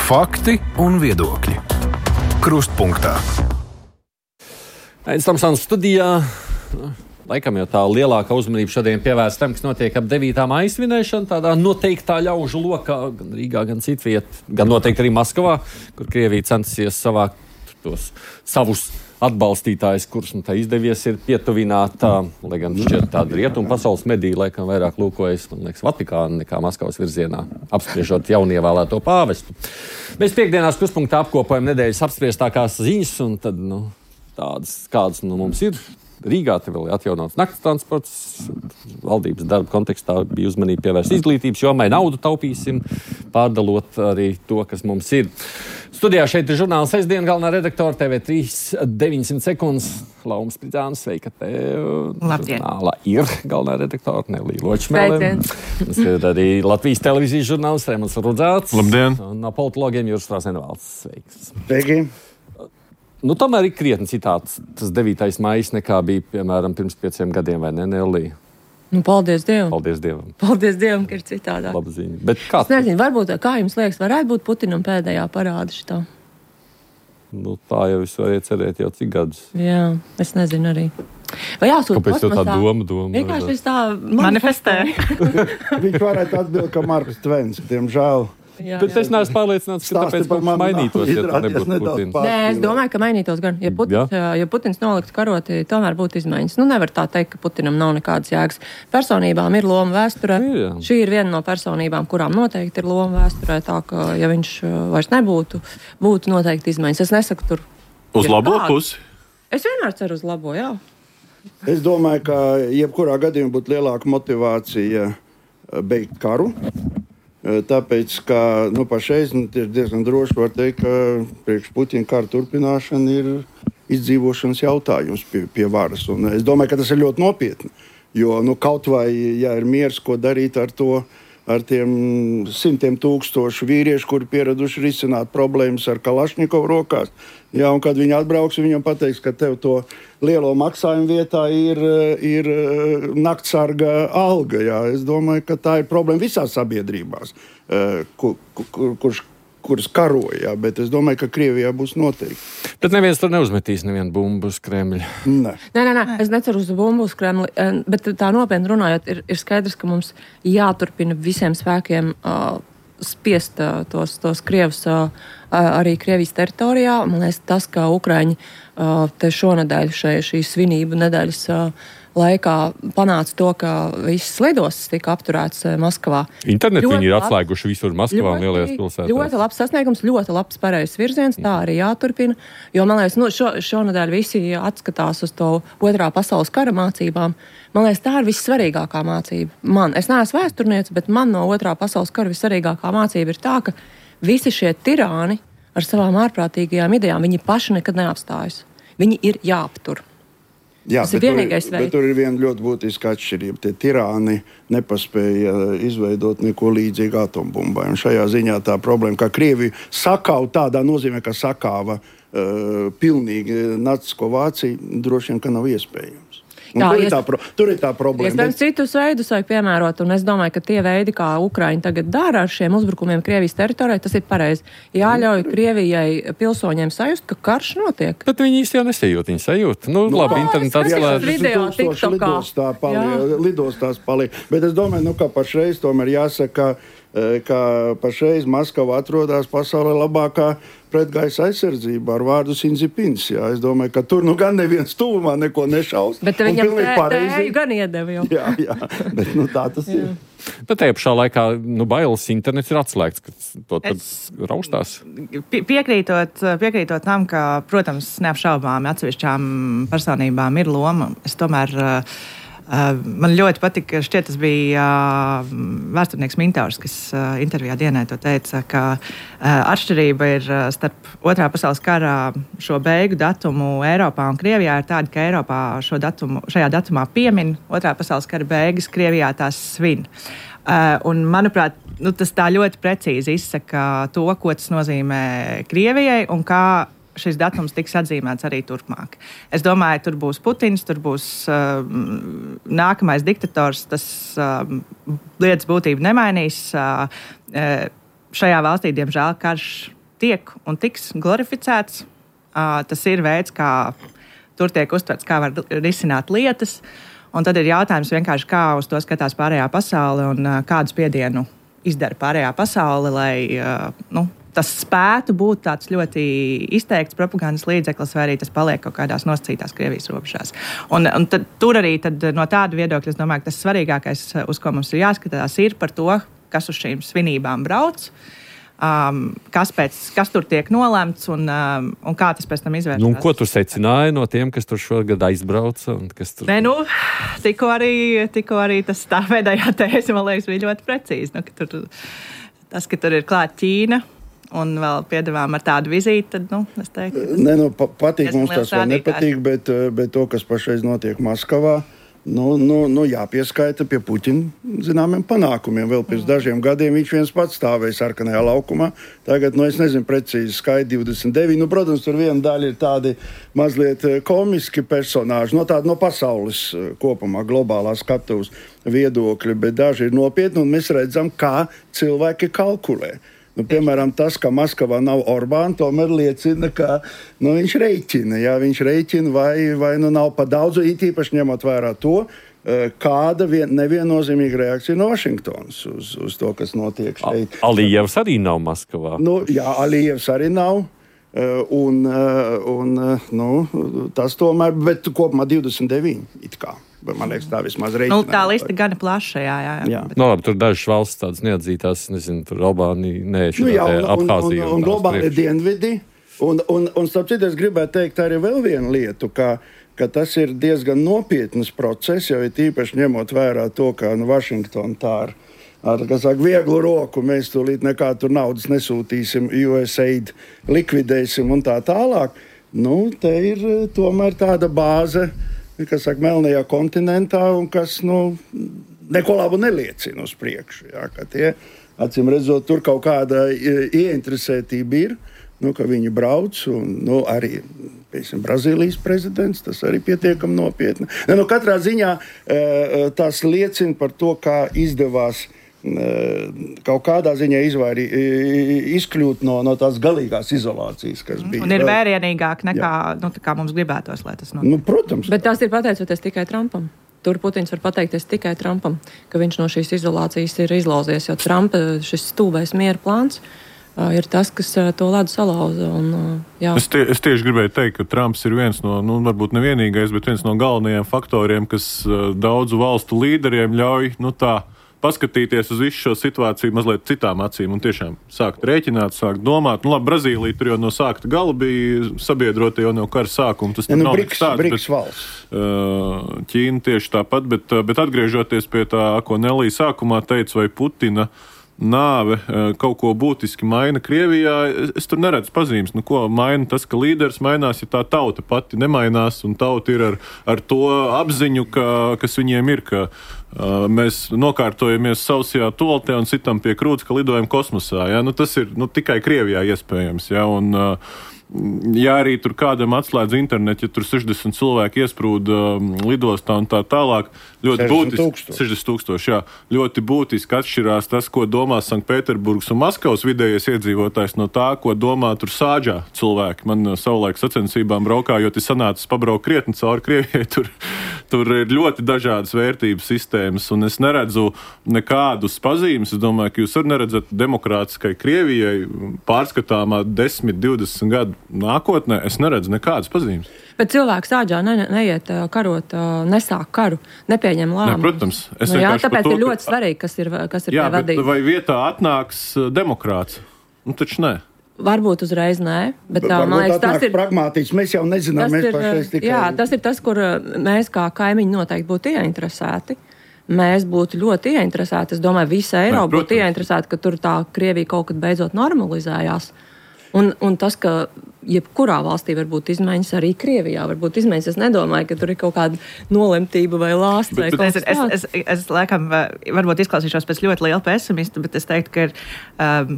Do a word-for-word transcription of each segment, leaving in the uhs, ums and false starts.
Fakti un viedokļi. Krustpunktā. Aizstāms studijā. Laikam jau tā lielākā uzmanība šodien pievērsta tam, kas notiek ap devītā maija svinēšana, tādā noteiktā ļaužu lokā, gan Rīgā, gan citviet, gan noteikti arī Maskavā, kur Krievija centusies savākt tos savus atbalstītājus, kurus nu, tā izdevies ir pietuvināt, tā, lai gan šķiet tāda rietumu pasaules medija, laikam vairāk lūkojas, man liekas, Vatikāna nekā Maskavas virzienā, apspriežot jaunievēlēto pāvestu. Mēs piekdienās Krustpunktā apkopojam nedēļas apspriestākās ziņas, un tad, nu, tādas, kādas nu, mums ir. Rīgā te vēl ir atjaunots nakts transports. Valdības darba kontekstā bija uzmanība pievērst izglītības jomai, naudu taupīsim, pārdalot arī to, kas mums ir. Studijā šeit ir žurnāla sestdiena galvenā redaktora T V trīs deviņsimt sekundes. Lauma Spridzāna, sveika tev. Labdien. Žurnālā ir galvenā redaktora Nelija Ločmele. Mums ir arī Latvijas televīzijas žurnāls Rēmons Rudzāts. Labdien. Un no politologiem Juris Frāzenvalds. Sveiks. Sveiki. Nu, tomēr ir krietni citāds. Tas devītais maijs nekā bija, piemēram, pirms pieciem gadiem, vai ne, Nelija? Nu, paldies Dievam. Paldies Dievam. Paldies Dievam, ka ir citādāk. Laba ziņa. Bet kā? Es nezinu, varbūt, kā jums liekas, varētu būt Putinam pēdējā parāda šitā? Nu, tā jau es varēju cerēt jau cik gadus. Jā, es nezinu arī. Vai jāsūt Kāpēc tev tā doma, doma? Vienkārši es tā manifestē. Viņš varētu atbild, ka Marks Tvens, diemžēl. Jā, Bet jā. es neesmu pārliecināts, ka Stāsti tāpēc par mums mani mainītos, nav ja tā izrādies nebūtu nedaudz Putins. pār- Nē, es domāju, ka mainītos gan. Ja Putins, ja Putins noliktu karoti, tomēr būtu izmaiņas. Nu, nevar tā teikt, ka Putinam nav nekādas jēgas. Personībām ir loma vēsturē. Ir, jā. Šī ir viena no personībām, kurām noteikti ir loma vēsturē. Tā ka, ja viņš uh, vairs nebūtu, būtu noteikti izmaiņas. Es nesaku tur. Uz ir labo tādu. pusi. Es vienmēr ceru uz labo, jā. Es domāju, ka jebkurā gadījumā būtu lielāka motivācija beigt karu. Tāpēc, ka nu, pašreiz nu, diezgan droši var teikt, ka priekš Putina kara turpināšana ir izdzīvošanas jautājums pie, pie varas. Un es domāju, ka tas ir ļoti nopietni. Jo nu, kaut vai, ja ir miers, ko darīt ar to, ar tiem simtiem tūkstošu vīriešu, kuri pieraduši risināt problēmas ar Kalašņikovu rokās. Jā, un kad viņi atbrauks, viņam pateiks, ka tev to lielo maksājumu vietā ir, ir naktsarga alga. Jā. Es domāju, ka tā ir problēma visās sabiedrībās, kur, kur, kurš, kuras karoja. Jā. Bet es domāju, ka Krievijā būs noteikti. Bet neviens tur neuzmetīs nevienu bumbu uz Kremļa. Ne. Nē, nē, nē, es neceru uz bumbu uz Kremli, bet tā nopietni runājot, ir, ir skaidrs, ka mums jāturpina visiem spēkiem uh, spiest uh, tos, tos Krievus uh, arī Krievijas teritorijā. Man liekas, tas, ka Ukraiņi uh, te šonedēļ šai, šī svinību nedēļas uh, laikā panāca to, ka visas lidostas tika apturētas uh, Maskavā. Internetu Ļoti viņi ir labi. atslēguši visur Maskavā un lielajās pilsētās. Ļoti labs sasniegums, ļoti labs pareizs virziens, tā arī jāturpina. Jo, man liekas, nu, šo, šonedēļ visi atskatās uz to otrā pasaules kara mācībām. Man liekas, tā ir vissvarīgākā mācība. Man, es neesmu vēsturniece, bet man no otrā pasaules kara vissvarīgākā mācība ir tā, ka visi šie tirāni ar savām ārprātīgajām idejām, viņi paši nekad neapstājas. Viņi ir jāaptur. Jā, Tas ir bet tur vienīgais veids. Bet tur ir viena ļoti būtiska atšķirība. Tie tirāni nepaspēja izveidot neko līdzīgu atombumbai. Un šajā ziņā tā problēma, ka Krievija sakauj tādā nozīmē, ka sakāva uh, pilnīgi nacisko Vāciju, droši vien, ka nav iespējams. Jā, tur, ies... ir tā pro, tur ir tā problēma. Iespējams, citus veidus vajag piemērot, un es domāju, ka tie veidi, kā Ukraiņi tagad dara ar šiem uzbrukumiem Krievijas teritorijai, tas ir pareizi. Jāļauj Krievijai pilsoņiem sajust, ka karš notiek. Bet viņi īsti jau nesajūt, viņi sajūt. Nu, nu labi, internets atslēdz. video TikTokā. Lidostā paliek, lidostās paliek. Bet es domāju, nu, ka pašreiz tomēr jāsaka, ka pašreiz Maskava atrodas pasaulē labākā pretgaisa aizsardzība ar vārdu Sinzipins. Jā. Es domāju, ka tur nu gan neviens tuvumā neko nešaus. Bet viņam tēju gan iedeva jau. Jā, jā, bet nu, tā tas jā. ir. Bet tajā pašā laikā, nu, bailes internets ir atslēgts, ka to tad Es- raustās. Pie- Piekrītot, piekrītot tam, ka, protams, neapšaubāmi atsevišķām personībām ir loma. Es tomēr, uh, uh, man ļoti patika, šķiet, tas bija uh, vēsturnieks Mintārs, kas uh, intervijā dienai to teica, ka uh, atšķirība ir uh, starp otrā pasaules kara šo beigu datumu Eiropā un Krievijā ir tāda, ka Eiropā šo datumu, šajā datumā piemin otrā pasaules kara beigas, Krievijā tās svin. Uh, un, manuprāt, nu, tas tā ļoti precīzi izsaka to, ko tas nozīmē Krievijai un kā šis datums tiks atzīmēts arī turpmāk. Es domāju, tur būs Putins, tur būs uh, nākamais diktators, tas uh, lietas būtību nemainīs. Uh, uh, šajā valstī, diemžēl, karš tiek un tiks glorificēts. Uh, tas ir veids, kā tur tiek uztverts, kā var risināt lietas. Un tad ir jautājums vienkārši, kā uz to skatās pārējā pasaule un uh, kādu spiedienu izdara pārējā pasaule, lai uh, nu, tas spētu būt tāds ļoti izteikts propagandas līdzeklis, vai arī tas paliek kaut kādās nosacītās Krievijas robežās. Un, un tad, tur arī tad, no tāda viedokļa, es domāju, ka tas svarīgākais, uz ko mums ir jāskatās, ir par to, kas uz šīm svinībām brauc. Um, kas, pēc, kas tur tiek nolemts un, um, un kā tas pēc tam izvērtās. Nu, ko tu secināji no tiem, kas tur šogad aizbrauca? Kas tur... Nē, nu, tikko arī, tikko arī tas tā pēdējā tēze, man liekas, bija ļoti precīzi. Nu, ka tur, tas, ka tur ir klāt Ķīna un vēl piedevām ar tādu vizīti, tad, nu, es teiktu... Nē, nu, pa, patīk mums tas vai nepatīk, bet, bet to, kas pašreiz notiek Maskavā, Nu, nu, nu, jāpieskaita pie Puķina zināmiem panākumiem. Vēl pirms dažiem gadiem viņš viens pats stāvēja sarkanajā laukumā. Tagad, nu, es nezinu precīzi skaiti divdesmit deviņi. Nu, protams, tur viena daļa ir tādi mazliet komiski personāži, no tāda no pasaules kopumā, globālā skatuves viedokļa, bet daži ir nopietni, un mēs redzam, kā cilvēki kalkulē. Nu, piemēram, tas, ka Maskavā nav Orbāna, tomēr liecina, ka nu, viņš rēķina. Jā, viņš rēķina vai, vai nu nav pa daudz, it īpaši ņemot vērā to, kāda vien, neviennozīmīga reakcija no Vašingtonas uz, uz to, kas notiek šeit. Alijevs arī nav Maskavā. Nu, jā, Alijevs arī nav. Un, un, nu, tas tomēr, bet kopumā divdesmit deviņi it kā. Man liekas, tā vismaz reiķinājumi. Nu, tā lista gana plaša, jā, jā. jā. jā. Bet... No, labi, tur dažas valsts tādas neatzītās, nezinu, tur Albānija, nē, šitā nu, jā, un, Abhāzija. Un, un, un globāli ir dienvidi. Un, un, un starp citu, es gribētu teikt arī vēl vienu lietu, ka, ka tas ir diezgan nopietnas process, jo ir tīpaši ņemot vērā to, ka nu, Vašingtona tā ar, ar saka, vieglu roku mēs tūlīt nekā tur naudas nesūtīsim, U S A I D likvidēsim un tā tālāk. Nu, te ir tomēr tāda bāze, kas saka, melnajā kontinentā, un kas nu, neko labu neliecina uz priekšu. Jā, ka tie, acīm redzot, tur kaut kāda ieinteresētība ir, nu, ka viņi brauc, un nu, arī piemēram, Brazīlijas prezidents, tas arī pietiekami nopietni. Ne, nu, katrā ziņā tas liecina par to, kā izdevās kaut kādā ziņā izvairī, izkļūt no, no tās galīgās izolācijas, kas bija. Un ir vērienīgāk nekā nu, kā mums gribētos, lai tas notiek. Nu, protams. Bet tas ir pateicoties tikai Trumpam. Tur Putins var pateikties tikai Trumpam, ka viņš no šīs izolācijas ir izlauzies, jo Trumpa šis stūbais miera plāns uh, ir tas, kas uh, to ledu salauza. Un, uh, jā. es, tie, es tieši gribēju teikt, ka Trumps ir viens no, nu, varbūt nevienīgais, bet viens no galvenajiem faktoriem, kas uh, daudzu valstu līderiem ļauj, nu tā, paskatīties uz visu šo situāciju mazliet citām acīm un tiešām sākt rēķināt, sākt domāt. Nu, labi, Brazīlija tur jau no sākta gala bija sabiedrota jau no kara sākuma. Tas ja, nu, nav Briks, tāds, Briks bet, valsts. Ķīna tieši tāpat, bet, bet atgriežoties pie tā, ko Nelija sākumā teica, vai Putina nāve kaut ko būtiski maina Krievijā, es tur neredzu pazīmes. Nu, ko maina tas, ka līderis mainās, ja tā tauta pati nemainās, un tauta ir ar, ar to apziņu, ka, kas viņiem ir, ka uh, mēs nokārtojamies sausajā toaletē un citam pie krūts, ka lidojam kosmosā. Ja? Nu, tas ir nu, tikai Krievijā iespējams. Ja? Un, uh, ja arī tur kādam atslēdz internetu, ja tur sešdesmit cilvēki iesprūda um, lidostā un tā tālāk, ļoti būtiski, sešdesmit tūkstoši, jā, ļoti būtiski atšķirās tas, ko domā Sanktpēterburgas un Maskavas vidējais iedzīvotājs no tā, ko domā tur Sāģā cilvēki. Man savulaik sacensībām braukājot, ir sanācis pabraukt krietni cauri Krievijai, tur, tur ir ļoti dažādas vērtības sistēmas, un es neredzu nekādus pazīmes. Es domāju, ka jūs arī neredzat demokrātiskai Krievijai pārskatāmā desmit, divdesmit gadu nākotnē, es neredzu nekādas pazīmes. Bet cilvēks Sāģā ne, neiet karot, nesāk karu, nepieņem lēmumu. Ne, protams. Es nu, jā, tāpēc to, ir ļoti svarīgi, kas ir, kas ir jā, pie vadības. Vai vietā atnāks demokrāts? Nu, taču nē. Varbūt uzreiz nē, bet tā, Varbūt man liekas, tas ir pragmātisks. Mēs jau nezinām, mēs ir, pašreiz tikai... Jā, tas ir tas, kur mēs kā kaimiņi noteikti būtu ieinteresēti. Mēs būtu ļoti ieinteresēti. Es domāju, visa Eiropa būtu ieinteresēta, ka tur tā Krievija kaut kad beidzot normalizējās. Un, un tas, ka jebkurā valstī var būt izmaiņas, arī Krievijā var būt izmaiņas. Es nedomāju, ka tur ir kaut kāda nolemtība vai lāsts vai kaut kas tāds. Es, es, es laikam varbūt izklausīšos pēc ļoti liela pesimista, bet es teiktu, ka ir um,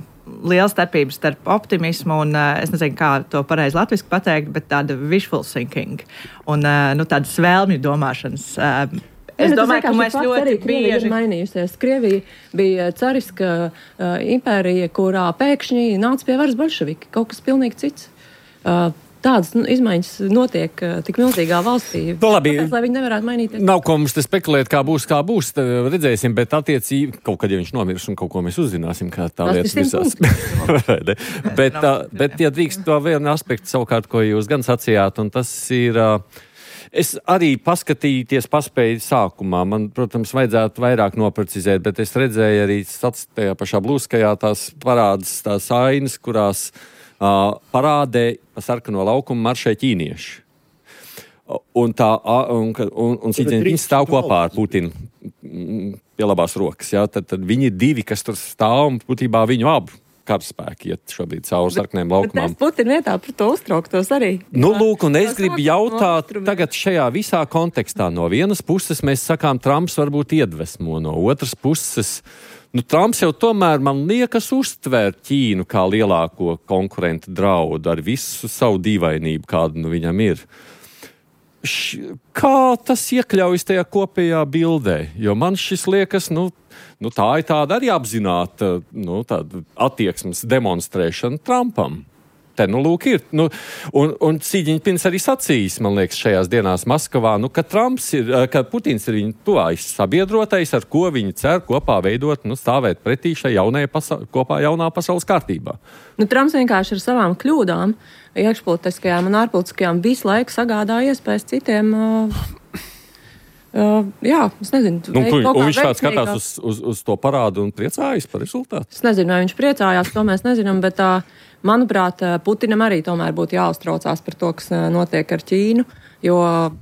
liela starpība starp optimismu un, uh, es nezinu, kā to pareizi latviski pateikt, bet tāda wishful thinking un uh, nu, tādas vēlmju domāšanas. Uh, Es ja, domāju, ka mēs ļoti arī Krievija bieži ir mainījusies. Krievija bija cariska uh, impērija, kurā pēkšņi nāca pie varas bolševiki, kaut kas pilnīgi cits. Uh, Tādas nu, izmaiņas notiek uh, tik milzīgā valstī. Nu, labi, Tāpēc, lai viņi nevarētu mainīties. Nav ko mums te spekulēt, kā būs, kā būs, redzēsim, bet attiecīgi kaut kad, ja viņš nomirs un kaut ko mēs uzzināsim, kā tā lietas visās. bet, uh, bet, ja drīkst to vienu aspektu savukārt, ko jūs gan sacījāt, un tas ir, uh, es arī paskatīties paspēju sākumā, man, protams, vajadzētu vairāk noprecizēt, bet es redzēju arī tajā pašā blūskajā tās parādas, tās ainas, kurās Uh, parādē pa sarkano laukumu maršē ķīnieši. Un tā, un, un, un viņi stāv kopā ar Putinu pie labās rokas. Ja? Tad, tad viņi ir divi, kas tur stāv un būtībā viņu abu karaspēki iet šobrīd cauri sarkaniem laukumam. Bet es Putina vietā par to uztrauktos arī. Nu, lūk, un es gribu jautāt tagad šajā visā kontekstā. No vienas puses mēs sakām, Trumps varbūt iedvesmo, no otras puses nu, Trumps jau tomēr, man liekas, uztver Ķīnu kā lielāko konkurentu draudu ar visu savu dīvainību, kāda nu viņam ir. Š, kā tas iekļaujas tajā kopējā bildē? Jo man šis liekas, nu, nu tā ir tāda arī apzināta nu, tāda attieksmes demonstrēšana Trumpam. Te, nu, lūk, ir. Nu, un, un Sīģiņpins arī sacījis, man liekas, šajās dienās Maskavā, nu, ka Trumps ir, ka Putins ir viņa tuvājs sabiedrotais, ar ko viņi cer kopā veidot, nu, stāvēt pretī šai jaunajai pasa- kopā jaunā pasaules kārtībā. Nu, Trumps vienkārši ar savām kļūdām, iekšpolitiskajām un ārpolitiskajām, visu laiku sagādā iespējas citiem. Uh, uh, jā, es nezinu. Nu, un, un viņš tāds skatās uz, uz, uz to parādu un priecājas par rezultātu? Es nezinu, vai viņš priecājās, to mēs nezinām, bet uh, manuprāt, Putinam arī tomēr būtu jāuztraucās par to, kas notiek ar Ķīnu, jo,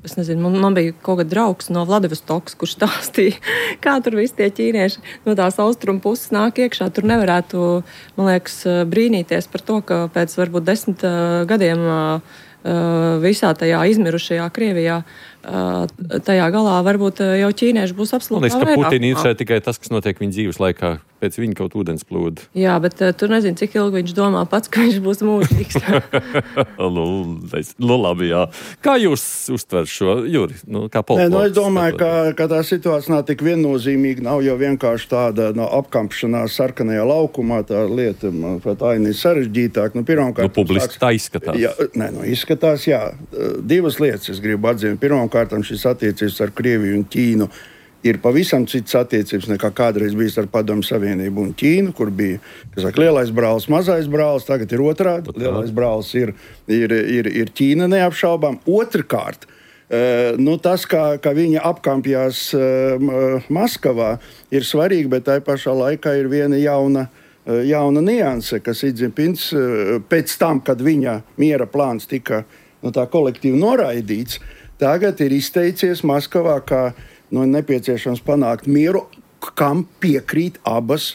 es nezinu, man, man bija kaut kāds draugs no Vladivostokas, kurš stāstīja, kā tur visi tie ķīnieši no tās austrumu puses nāk iekšā. Tur nevarētu, man liekas, brīnīties par to, ka pēc varbūt desmit uh, gadiem uh, visā tajā izmirušajā Krievijā, uh, tajā galā varbūt jau ķīnieši būs absolūti vairāk. Man liekas, ka Putina interesē tikai tas, kas notiek viņa dzīves laikā, pēc viņa kaut ūdens plūda. Jā, bet uh, tu nezini, cik ilgi viņš domā pats, ka viņš būs mūžīgs. nu, es, nu, labi, jā. Kā jūs uztver šo, Juri? Nu, kā Nē, nu, es domāju, ka, ka tā situācija nav tik viennozīmīga, nav jau vienkārši tāda no, apkampšanās sarkanajā laukumā, tā lieta, manuprāt, aina ir sarežģītāk. Nu, pirmkārt, nu, publiski tā izskatās. Jā, nē, nu, izskatās, jā. Divas lietas es gribu atzīmēt. Pirmkārt, šis attiecības ar Krieviju un Ķīnu ir pavisam cits attiecības nekā kādreiz bijis ar Padomju Savienību un Ķīnu, kur bija, kas saka, lielais brālis, mazais brālis, tagad ir otrādi. Lielais brālis ir, ir, ir, ir Ķīna neapšaubām. Otrkārt, uh, nu, tas, kā, kā viņa apkampjās uh, Maskavā, ir svarīgi, bet tai pašā laikā ir viena jauna, uh, jauna nianse, kas Idzipins uh, pēc tam, kad viņa miera plāns tika nu, tā kolektīvi noraidīts, tagad ir izteicies Maskavā, kā nu, nepieciešams panākt mieru, kam piekrīt abas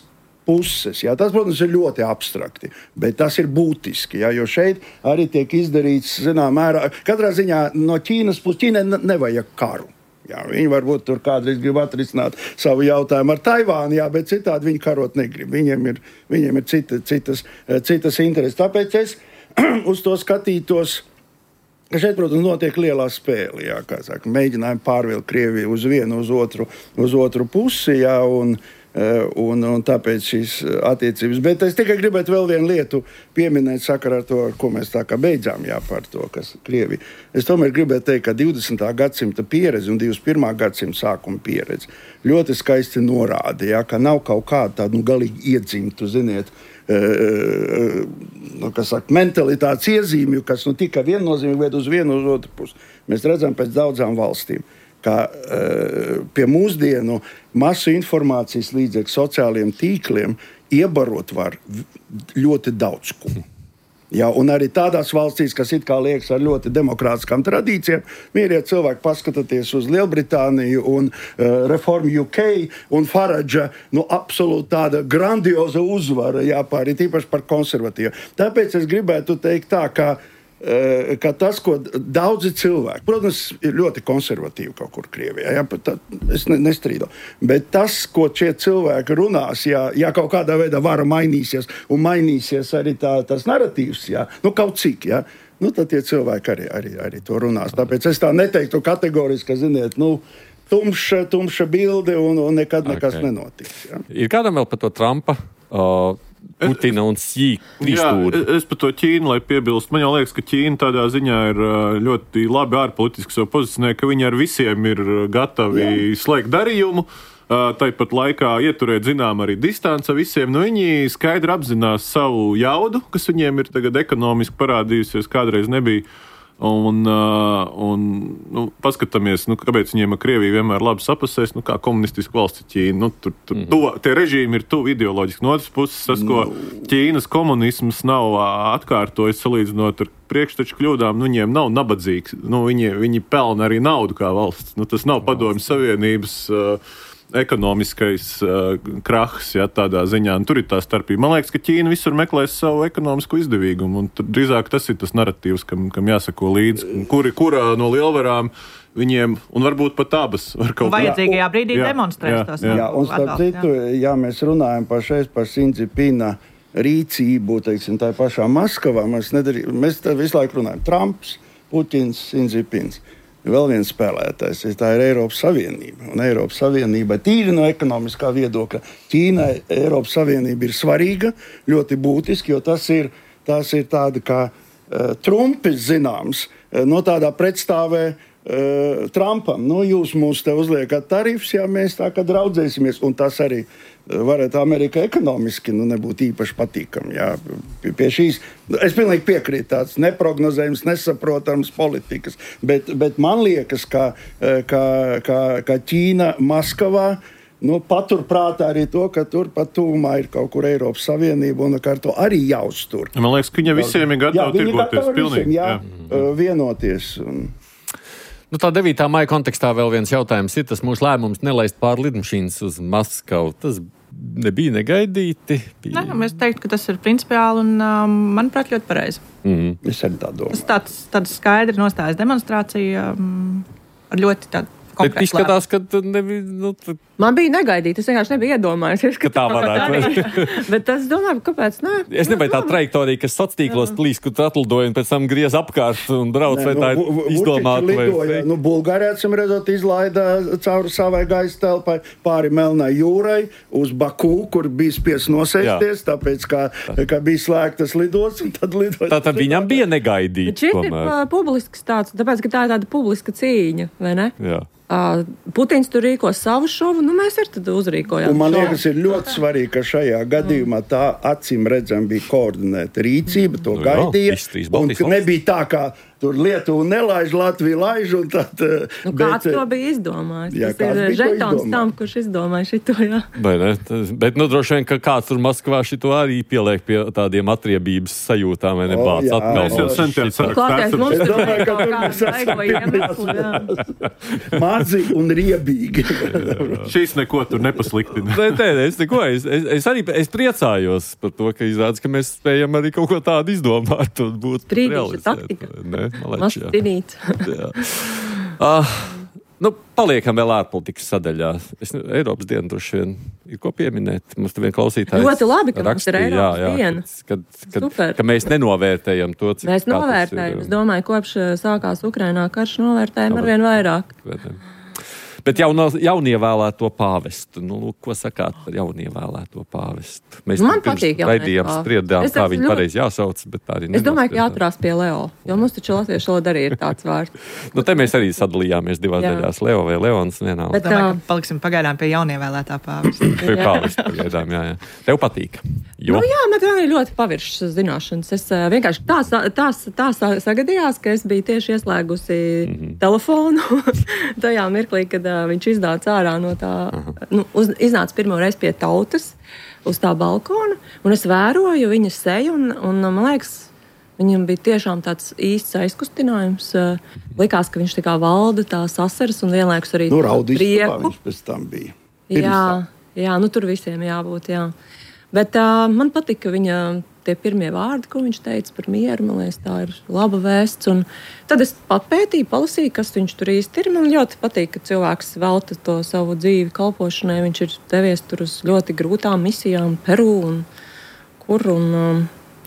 puses. Jā. Tas, protams, ir ļoti abstrakti, bet tas ir būtiski, jā, jo šeit arī tiek izdarīts, zinām, mērā, katrā ziņā no Ķīnas puses, Ķīnai nevajag karu. Jā, viņi varbūt tur kādreiz grib atrisināt savu jautājumu ar Taivānu, jā, bet citādi viņi karot negrib. Viņiem ir, viņiem ir cita, citas, citas intereses. Tāpēc es uz to skatītos, ka šeit, protams, notiek lielā spēle, jā, kā saka, mēģinājumi pārvilkt Krieviju uz vienu, uz otru, uz otru pusi, jā, un, un, un tāpēc šīs attiecības. Bet es tikai gribētu vēl vienu lietu pieminēt sakarā ar to, ar ko mēs tā kā beidzām, jā, par to, kas Krievija. Es tomēr gribētu teikt, ka divdesmitā gadsimta pieredze un divdesmit pirmā gadsimta sākuma pieredze ļoti skaisti norāda, jā, ka nav kaut kāda tāda, nu, galīgi iedzimtu, ziniet, nu, kas saka, mentalitātes iezīmju, kas nu tikai viennozīmīgi ved uz vienu uz otru pusi. Mēs redzam pēc daudzām valstīm, ka uh, pie mūsdienu masu informācijas līdzekļu sociāliem tīkliem iebarot var ļoti daudz ko. Jā, un arī tādās valstīs, kas it kā liekas ar ļoti demokrātiskām tradīcijām, mīrie cilvēki, paskatieties uz Lielbritāniju un uh, Reform U K un Faradža, nu, absolūti tāda grandioza uzvara, jā, pārī tīpaši par konservatīvu. Tāpēc es gribētu teikt tā, ka ka tas, ko daudzi cilvēki, protams, ir ļoti konservatīvi kaut kur Krievijā, ja, tā, es ne, nestrīdu, bet tas, ko šie cilvēki runās, ja, ja kaut kādā veidā vara mainīsies un mainīsies arī tā, tas naratīvs, ja, nu kaut cik, ja, nu tad tie cilvēki arī, arī, arī to runās. Tāpēc es tā neteiktu kategoriski, ka, ziniet, nu, tumša, tumša bilde un, un nekad nekas Okay. nenotiks. Ja. Ir kādam vēl par to Trumpa, uh, Putina un Sī trīsstūri? Jā, es par to Ķīnu, lai piebilst. Man jau liekas, ka Ķīna tādā ziņā ir uh, ļoti labi ārpolitiski savu pozicionē, ka viņi ar visiem ir uh, gatavi Jā. slēgt darījumu. Uh, Tāpat laikā ieturēt zinām arī distanci visiem. Nu, viņi skaidri apzinās savu jaudu, kas viņiem ir tagad ekonomiski parādījusies, kādreiz nebija. Un, uh, un nu, paskatāmies, nu, kāpēc viņiem ar Krieviju vienmēr labi sapasēs, nu, kā komunistiska valsts Ķīna. Nu, tur, tur, mm-hmm. to, tie režīmi ir tuvi ideoloģiski. No otras puses, tas, ko Ķīnas komunisms nav atkārtojis salīdzinot ar priekšteču kļūdām, nu, viņiem nav nabadzīgs. Nu, viņi, viņi pelna arī naudu kā valsts. Nu, tas nav Padomju Savienības uh, ekonomiskais uh, krahs, ja, tādā ziņā. Un tur ir tā starpība. Man liekas, ka Ķīna visur meklēs savu ekonomisko izdevīgumu, un drīzāk tas ir tas narratīvs, kam, kam jāsako līdzi. Kuri, kurā no lielvarām viņiem, un varbūt pat abas, var kaut kā... Vajadzīgajā brīdī jā, demonstrēs jā, tos. Jā, jā, un starp citu, ja mēs runājam pašais par Xi Jinpinga rīcību, teiksim, tā pašā Maskavā, mēs, nedarī, mēs visu laiku runājam Trumps, Putins, Xi Jinpings. Vēl viens spēlētājs, tā ir Eiropas Savienība. Un Eiropas Savienība tīri no ekonomiskā viedokļa. Ķīnai Eiropas Savienība ir svarīga, ļoti būtiski, jo tas ir, tas ir tāda kā uh, Trumpis zināms, uh, no tādā pretstāvē uh, Trumpam. Nu, jūs mums te uzliekat tarifs, ja mēs tā kā draudzēsimies, un tas arī varētu Amerika ekonomiski nu, nebūt īpaši patīkami. Jā, pie, pie šīs, es pilnīgi piekrītu tāds neprognozējums, nesaprotams politikas, bet, bet man liekas, ka, ka, ka, ka Ķīna Maskavā nu, paturprātā arī to, ka tur pat tūmā ir kaut kur Eiropas Savienība un ka ar to arī jāuztur. Man liekas, ka viņa visiem ir gatavi tirgoties pilnīgi. Jā, jā. Vienoties. Un... Nu, tā devītā maija kontekstā vēl viens jautājums ir tas mūsu lēmums nelaist pār lidmašīnas uz Maskavu. Tas nebija negaidīti. Bija... Nē, es teiktu, ka tas ir principiāli un, um, manuprāt, ļoti pareizi. Mm. Es arī tā domāju. Tas tāds, tāds skaidri nostājas demonstrācija um, ar ļoti tādu Bet izskatās, ka nebija... Nu, t... Man bija negaidīti, es vienkārši nebiju iedomājies, ka tā varētu. Bet es domāju, kāpēc nē? Es nebiju tā trajektorija, kas sociālos plīs, kur tu atlidoji un pēc tam griez apkārt un brauc, vai tā ir izdomāta. Vai... Nu, Bulgārijā, acīm redzot, izlaida cauri savai gaisa telpai pāri Melnai jūrai uz Baku, kur bija spiest nosēsties, Jā. tāpēc, ka, ka bija slēgtas lidos, un tad lidoja. Tātad viņam bija negaidīti. Bet šis ir uh, publisks tāds, tāpēc, ka tā ir tāda publiska cīņa, vai ne? Jā. Uh, Putins tur rīko savu šovu, nu mēs arī tad uzrīkojām. Un man liekas, ir ļoti svarīgi, ka šajā gadījumā tā acīm redzam bija koordinēta rīcība, to Nu, gaidīja. jā, Un nebija tā, kā tur Lietuva nelaiž, Latvija laiž. Un tad, nu, bet, kāds to bija izdomājis? Jā, Tas ir žetons tam, kurš izdomāja šito, jā. Vai ne? Tas, bet, nu, droši vien, ka kāds tur Maskavā šito arī pieliek pie tādiem atriebības sajūtām, vai ne? O, jā, es jau centos Klāties, mums Es tur domāju, bija ka kaut tur kāda mēs esam vaigo iemesli, jā. mazi un riebīgi. Šīs neko tur nepasliktina. Nē, nē, es neko. Es, es, es arī es priecājos par to, ka izrādās, ka mēs spējam arī kaut ko tādu izdomāt un būt Strīdīša realizēt. taktika. Nē, malēč, jā. Mastinīt. Jā. Uh, nu, paliekam vēl ārpolitikas sadaļā. Es, nu, Eiropas diena droši vien ir ko pieminēt. Mums te vien klausītājs Ļoti labi, ka mums ir rakstīja, Eiropas jā, jā, diena. Kad, kad, Super. ka mēs nenovērtējam to, cik Mēs kā tas novērtējam. ir, Es domāju, kopš sākās Ukrainā karš novērtējam Novērtējam. arvien vairāk. Vērtējam. Bet jauno, jaunievēlēto pāvestu. Nu, ko sakāt par jaunievēlēto pāvestu? Mēs Man pirms patīk jaunais raidījām pāvests. spriedām, Es kā esmu viņu ļoti- pareizi jāsauc, bet tā arī Es domāju, ka nenospriedām. jāturās pie Leo, jo mums taču latviešu valoda arī ir tāds vārds. Nu, te mēs arī sadalījāmies divās Jā. daļās. Leo vai Leons vienā. Bet, Domāju, uh, ka paliksim pagaidām pie jaunievēlētā pāvesta. Pie pāvesta pagaidām, jā, jā. Tev patīk. Jo. Nu, jā, man arī ļoti paviršas zināšanas. Es uh, vienkārši tā, sa- tā, sa- tā sa- sagadījās, ka es biju tieši ieslēgusi mm-hmm. telefonu tajā mirklī, kad uh, viņš iznāca ārā no tā, nu, uz, iznāca pirmo reizi pie tautas uz tā balkona, un es vēroju viņa seju, un, un man liekas, viņam bija tiešām tāds īsts aizkustinājums. Uh, likās, ka viņš tā kā valda tās asaras un vienlaikus arī Nu, to raudīs, prieku. viņš pēc tam bija. Pirms Jā, tam. jā, nu tur visiem jābūt, jā. Bet uh, man patika viņa tie pirmie vārdi, ko viņš teica par mieru. Man liekas, tā ir laba vēsts. Un tad es papētīju, palasīju, kas viņš tur īsti ir. Man ļoti patīk, ka cilvēks velta to savu dzīvi kalpošanai. Viņš ir devies tur uz ļoti grūtām misijām, Peru un kur. Un, um,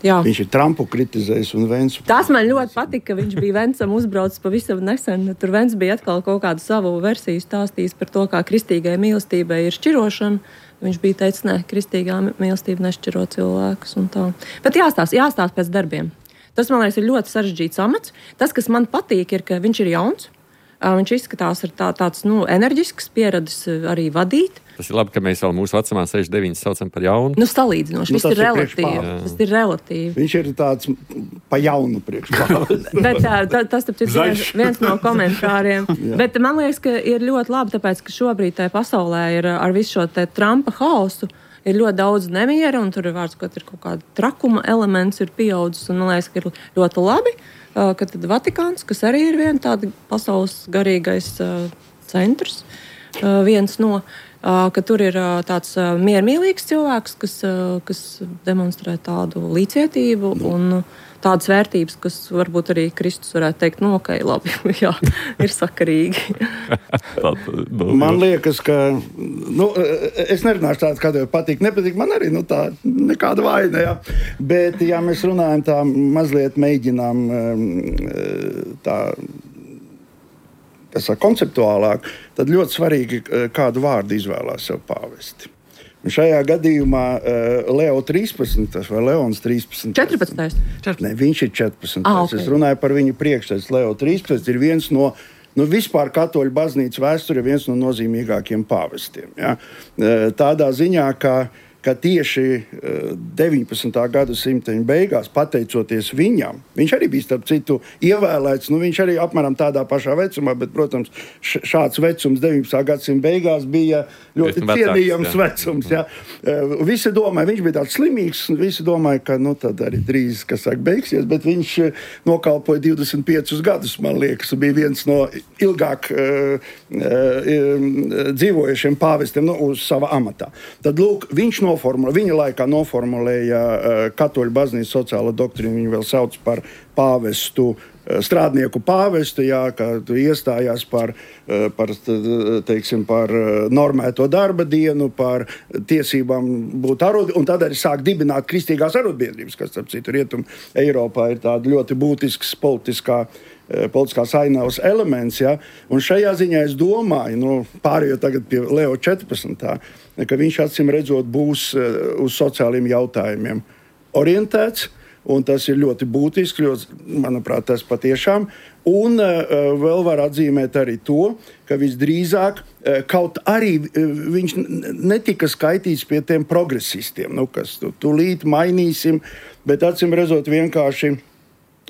Jā. Viņš ir Trumpu kritizējis un Vensu. Tas man ļoti patika, ka viņš bija Vencam uzbraucis pavisam nesen. Tur Vens bija atkal kaut kādu savu versiju stāstījis par to, kā kristīgai mīlestībai ir šķirošana. Viņš bija teicis, ne, kristīgā mīlestība nešķiro cilvēkus un tā. Bet jāstāst, jāstāst pēc darbiem. Tas, man liekas, ir ļoti sarežģīts amats. Tas, kas man patīk, ir, ka viņš ir jauns. Viņš izskatās ar tā, tāds nu, enerģisks, pieradis arī vadīt. Tas ir labi, ka mēs vēl mūsu vecumā sešdesmit deviņi saucam par jaunu. Nu, salīdzinoši. Nu, Viss ir relatīvi. Tas ir relatīvi. Viņš ir tāds pa jaunu priekšpāvis. Bet tā, tā, tas ir viens, viens no komentāriem. Bet man liekas, ka ir ļoti labi, tāpēc, ka šobrīd tajā pasaulē ir ar visu šo te Trumpa hausu. Ir ļoti daudz nemiera, un tur ir vārds, ka ir kaut kāda trakuma elements ir pieaudzis. Un man liekas, ka ir ļoti labi, ka tad Vatikāns, kas arī ir viena tāda pasaules garīgais uh, centrs, uh, viens no, uh, ka tur ir uh, tāds uh, miermīlīgs cilvēks, kas, uh, kas demonstrē tādu līdzcietību un uh, tādas vērtības, kas varbūt arī Kristus varētu teikt, nu, ok, labi, jā, ir sakarīgi. Man liekas, ka, nu, es nerunāšu tāds, kāda patīk, nepatīk, man arī, nu, tā, nekāda vaina, jā. Bet, ja mēs runājam tā, mazliet mēģinām tā, kas ir konceptuālāk, tad ļoti svarīgi, kādu vārdu izvēlās sev pāvesti. Un šajā gadījumā uh, Leo trīspadsmitais vai Leons trīspadsmitais. četrpadsmitais. Ne, viņš ir četrpadsmitais. Ah, okay. Es runāju par viņu priekšsēdus. Leo trīspadsmitais ir viens no, nu, vispār katoļu baznīcas vēsturē viens no nozīmīgākiem pāvestiem. Ja? Uh, tādā ziņā, ka, ka tieši uh, deviņpadsmitā gadsimta beigās, pateicoties viņam, viņš arī bija starp citu ievēlēts, nu, viņš arī apmēram tādā pašā vecumā, bet, protams, šāds vecums deviņpadsmitā gadsimta beigās bija ļoti cienījams vecums. Ja. Visi domāja, viņš bija tāds slimīgs, visi domāja, ka nu, tad arī drīz, kas saka, beigsies, bet viņš nokalpoja divdesmit piecus gadus, man liekas, bija viens no ilgāk uh, uh, dzīvojušiem pāvestiem nu, uz sava amatā. Tad, lūk, viņš noformulēja, viņa laikā noformulēja uh, katoļu baznīcas sociālo doktrīnu, viņu vēl sauc par pāvestu, strādnieku pāvestu, jā, kā iestājās par, par, teiksim, par normēto darba dienu, par tiesībām būt arod, un tad arī sāk dibināt kristīgās arotbiedrības, kas, starp citu, Rietum Eiropā ir tāda ļoti būtisks politiskā, politiskās ainavas elements, jā. Un šajā ziņā es domāju, nu, pārējot tagad pie Leo četrpadsmitā, ka viņš acīm redzot būs uz sociāliem jautājumiem orientēts. Un tas ir ļoti būtiski, ļoti, manuprāt, tas patiešām. Un uh, vēl var atzīmēt arī to, ka visdrīzāk uh, kaut arī uh, viņš netika skaitīts pie tiem progresistiem, nu, kas tu, tūlīt mainīsim, bet acīm redzot vienkārši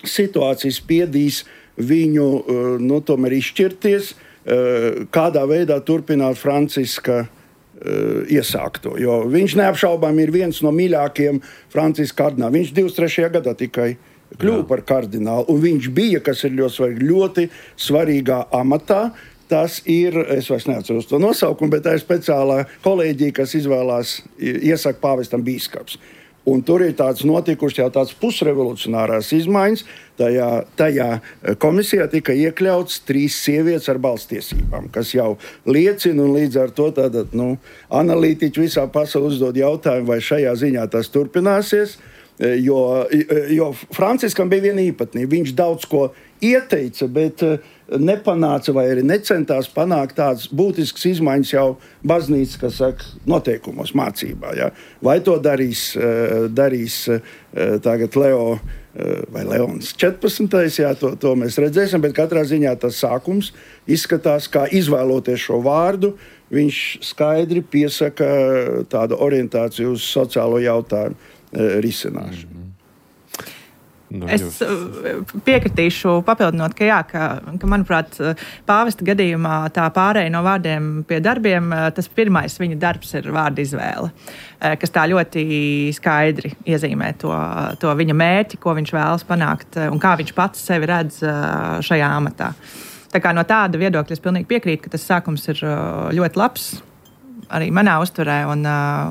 situācijas spiedīs viņu, uh, nu, tomēr izšķirties, uh, kādā veidā turpināt Franciska iesākto, jo viņš neapšaubām ir viens no mīļākajiem Franciska kardināliem. Viņš divdesmit trešajā gadā tikai kļuva par kardinālu, un viņš bija, kas ir ļoti svarīgi, ļoti svarīgā amatā. Tas ir, es vairs neatceros to nosaukumu, bet tā ir speciālā kolēģija, kas izvēlās, iesaka pāvestam bīskaps. Un tur ir tāds notikuši jau tāds pusrevolucionārās izmaiņas. Tajā, tajā komisijā tika iekļauts trīs sievietes ar balstiesībām, kas jau liecina, un līdz ar to tātad, nu, analītiķi visā pasaulē uzdod jautājumu, vai šajā ziņā tas turpināsies. Jo, jo Franciskam bija viena īpatnība. Viņš daudz ko ieteica, bet nepanāca vai arī necentās panākt tādas būtiskas izmaiņas jau baznīcas, kas saka, noteikumos, mācībā. Ja? Vai to darīs, darīs tagad Leo vai Leons četrpadsmitais, jā, to, to mēs redzēsim, bet katrā ziņā tas sākums izskatās, kā izvēloties šo vārdu, viņš skaidri piesaka tādu orientāciju uz sociālo jautājumu risināšanu. No, es piekritīšu, papildinot, ka, jā, ka, ka manuprāt, pāvesta gadījumā tā pārēja no vārdiem pie darbiem, tas pirmais viņa darbs ir vārda izvēle, kas tā ļoti skaidri iezīmē to, to viņa mērķi, ko viņš vēlas panākt un kā viņš pats sevi redz šajā amatā. Tā kā no tāda viedokļa es pilnīgi piekrītu, ka tas sākums ir ļoti labs arī manā uztverē, un,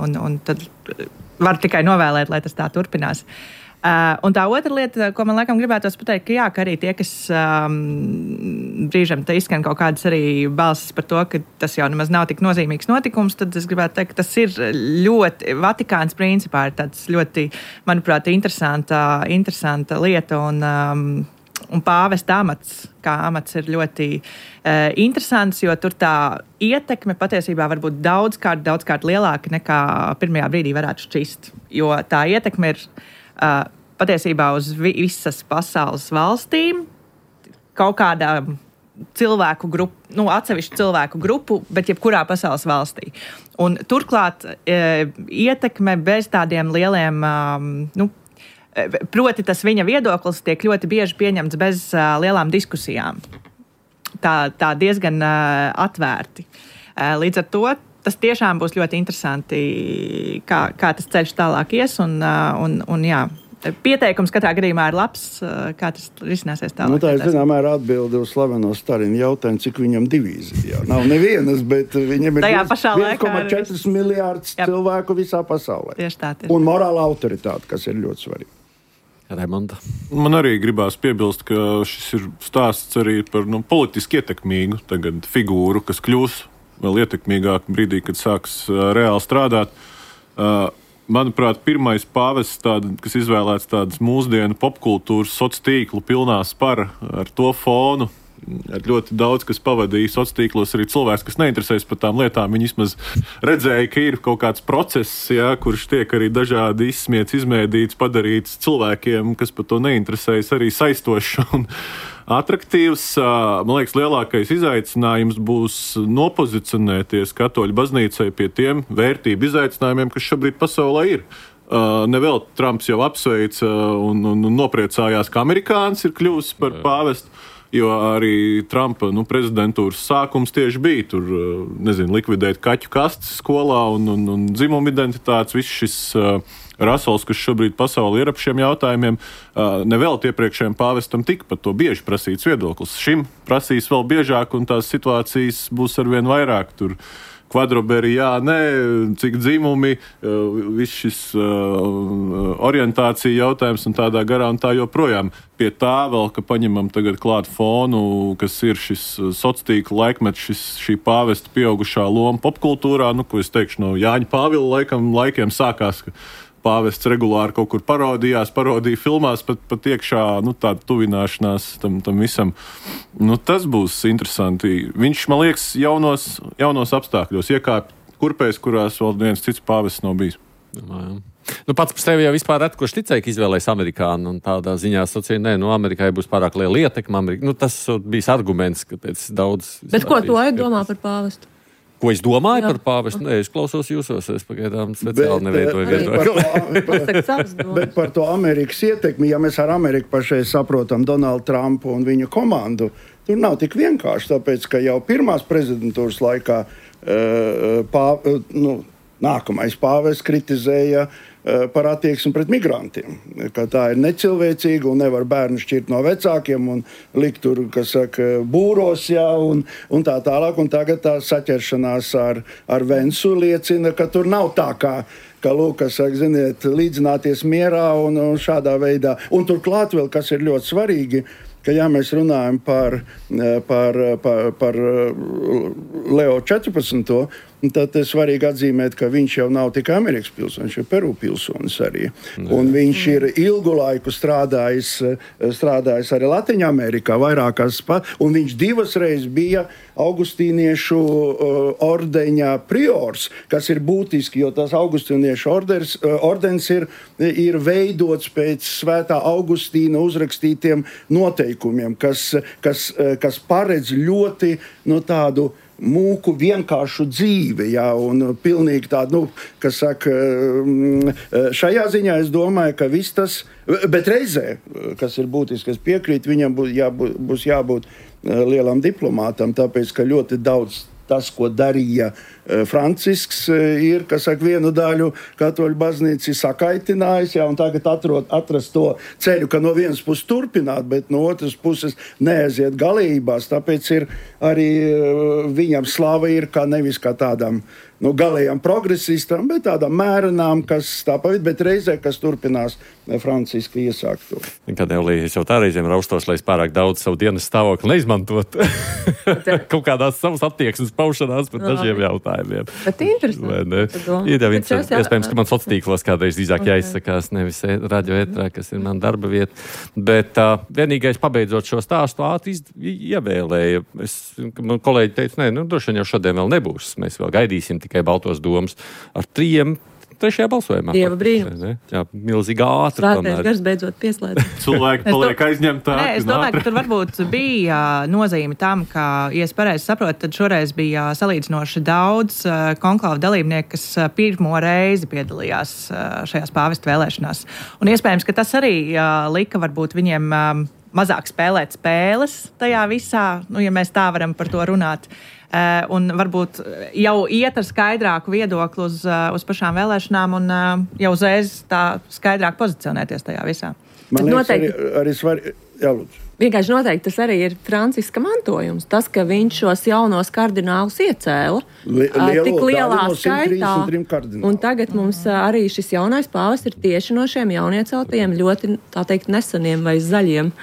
un, un tad var tikai novēlēt, lai tas tā turpinās. Uh, un tā otra lieta, ko man laikam gribētos pateikt, ka jā, ka arī tie, kas um, brīžam te izskan kaut kādas arī balsis par to, ka tas jau nemaz nav tik nozīmīgs notikums, tad es gribētu teikt, ka tas ir ļoti, Vatikāns principā ir tāds ļoti, manuprāt, interesanta, interesanta lieta un um, Un pāvesta amats, kā amats ir ļoti uh, interesants, jo tur tā ietekme patiesībā var būt daudzkārt, daudzkārt lielāka nekā pirmajā brīdī varētu šķist. Jo tā ietekme ir uh, patiesībā uz vi- visas pasaules valstīm, kaut kādā cilvēku grupu, nu, atsevišķu cilvēku grupu, bet jebkurā pasaules valstī. Un turklāt uh, ietekme bez tādiem lieliem, um, nu, proti tas viņa viedoklis tiek ļoti bieži pieņemts bez uh, lielām diskusijām. Tā, tā diezgan uh, atvērti. Uh, līdz ar to tas tiešām būs ļoti interesanti, kā, kā tas ceļš tālāk ies. Un, uh, un, un, jā, pieteikums katrā gadījumā ir labs, uh, kā tas risināsies tālāk. Nu, tā ir zināmā mērā atbilde uz slaveno Stalina jautājumu, cik viņam divīzija. Nav nevienas, bet viņam ir viens komats četri miljārdus cilvēku visā pasaulē. Tieši tā, tieši. Un morāla autoritāte, kas ir ļoti svarīga. Raimonda. Man arī gribās piebilst, ka šis ir stāsts arī par nu, politiski ietekmīgu tagad figūru, kas kļūs vēl ietekmīgāk brīdī, kad sāks uh, reāli strādāt. Uh, manuprāt, pirmais pāvests, tāda, kas izvēlēts tādas mūsdienu popkultūras sociālo tīklu pilnā spara ar to fonu, ar ļoti daudz, kas pavadīja sociālos tīklos, arī cilvēks, kas neinteresējas par tām lietām. Viņi vismaz redzēja, ka ir kaut kāds process, jā, kurš tiek arī dažādi izsmiets, izmēdīts, padarīts cilvēkiem, kas par to neinteresējas, arī saistošs un atraktīvs. Man liekas, lielākais izaicinājums būs nopozicionēties katoļu baznīcai pie tiem vērtību izaicinājumiem, kas šobrīd pasaulē ir. Uh, Nevēl Trumps jau apsveica un, un, un nopriecājās, ka amerikānis ir kļuvis par pāvestu. Jo arī Trumpa nu, prezidentūras sākums tieši bija tur, nezinu, likvidēt kaķu kastes skolā un, un, un dzimumu identitātes. Viss šis uh, rasels, kas šobrīd pasaulē ir ap šiem jautājumiem, uh, nevēl iepriekšējiem pāvestam tika par to bieži prasīts viedoklis. Šim prasīs vēl biežāk un tās situācijas būs arvien vairāk tur. Kvadroberi, jā, nē, cik dzimumi, viss šis uh, orientācija jautājums un tādā garā un tā joprojām. Pie tā vēl, ka paņemam tagad klāt fonu, kas ir šis sociātīkla laikmets, šis, šī pāvesta pieaugušā loma popkultūrā, nu, ko es teikšu, no Jāņa Pāvila laikam, laikiem sākās, ka pāvests regulāri kaut kur parodījās, parodīja filmās, pat, pat iekšā nu, tāda tuvināšanās tam, tam visam. Nu, tas būs interesanti. Viņš, man liekas, jaunos, jaunos apstākļos iekāp kurpēs, kurās vēl viens cits pāvests nav bijis. Jā, jā. Nu, pats par sevi jau vispār ret, kurš ticēja, ka izvēlēs amerikānu, un tādā ziņā sacīja, nē, nu, Amerikai būs pārāk liela ietekme. Amerika. Nu, tas bijis arguments, ka pēc daudz... Bet ko tu domā par pāvestu? Ko es domāju Jā. par pāvestu? Nē, es klausos jūsos, es pagaidām speciāli nevietoju viedokli. Bet, bet par to Amerikas ietekmi, ja mēs ar Ameriku pašai saprotam Donaldu Trumpu un viņu komandu, tur nav tik vienkārši, tāpēc, ka jau pirmās prezidentūras laikā uh, pā, uh, nu, nākamais pāvests kritizēja par attieksmi pret migrantiem, ka tā ir necilvēcīga un nevar bērnu šķirt no vecākiem un likt tur, kas saka, būros, jā, un, un tā tālāk. Un tagad tā saķeršanās ar, ar Vensu liecina, ka tur nav tā kā, ka, lūk, kas saka, ziniet, līdzināties mierā un, un šādā veidā. Un turklāt vēl, kas ir ļoti svarīgi, ka, ja mēs runājam par, par, par, par Leo četrpadsmito, tad ir svarīgi atzīmēt, ka viņš jau nav tikai Amerikas pilsonis, viņš ir Peru pilsonis arī. Un viņš ir ilgu laiku strādājis, strādājis arī Latviņā Amerikā, vairākās, un viņš divas reizes bija augustīniešu ordeņa priors, kas ir būtiski, jo tas augustīniešu orders, ordens ir, ir veidots pēc svētā Augustīna uzrakstītiem noteikumiem, kas, kas, kas paredz ļoti no tādu mūku vienkāršu dzīvi, jā, un pilnīgi tādu, nu, kas saka, šajā ziņā es domāju, ka viss tas, bet reizē, kas ir būtiski, es piekrītu, viņam būs jābūt, būs jābūt lielam diplomātam, tāpēc, ka ļoti daudz tas, ko darīja Francisks, ir, kas saka, vienu daļu katoļu baznīca ir sakaitinājis, jā, un tagad atrod, atrast to ceļu, ka no vienas puses turpināt, bet no otras puses neaiziet galībās. Tāpēc ir arī viņam slava ir kā nevis kā tādam nu, galējām progresistam, bet tādām mērenām, kas tā pavid, bet reizē, kas turpinās Franciska iesākto. Kad Eulī, es jau tā reizēm raustos, lai es pārāk daudz savu dienas stāvokli neizmantot kaut kādās savas attieksmes paušanās par dažiem jautājumiem. Bet interesanti. Ir jau interesanti. Iespējams, ka man sociālos tīklos kādreiz drīzāk okay. jāizsakās, nevis radio ētrā, kas ir man darba vieta. Bet uh, vienīgais pabeidzot šo stāstu ātri ievēlēja. Es, man kolēģi teica, nē, nu, droši vien jau šodien vēl nebūs. Mēs vēl gaidīsim tikai baltos domas ar trījiem trešajā balsojumā. Dieva brīnums. Jā, milzīgi ātri. Svētais gars beidzot pieslēdz. Cilvēki paliek aizņemtāki. Nē, es domāju, ka tur varbūt bija nozīme tam, ka, ja es pareizi saprotu, tad šoreiz bija salīdzinoši daudz konklāvu dalībnieku, kas pirmo reizi piedalījās šajās pāvestu vēlēšanās. Un iespējams, ka tas arī lika varbūt viņiem mazāk spēlēt spēles tajā visā, nu, ja mēs tā varam par to runāt. Uh, un varbūt jau iet ar skaidrāku viedokli uz, uh, uz pašām vēlēšanām un uh, jau uzreiz tā skaidrāk pozicionēties tajā visā. Man liekas, arī, arī svarīgi. Jā, lūdzu. Vienkārši noteikti tas arī ir Franciska mantojums. Tas, ka viņš šos jaunos kardinālus iecēla Li- lielo, tik lielā no skaitā. Un tagad mums arī šis jaunais pāvests ir tieši no šiem jaunieceltajiem ļoti, tā teikt, neseniem vai zaļiem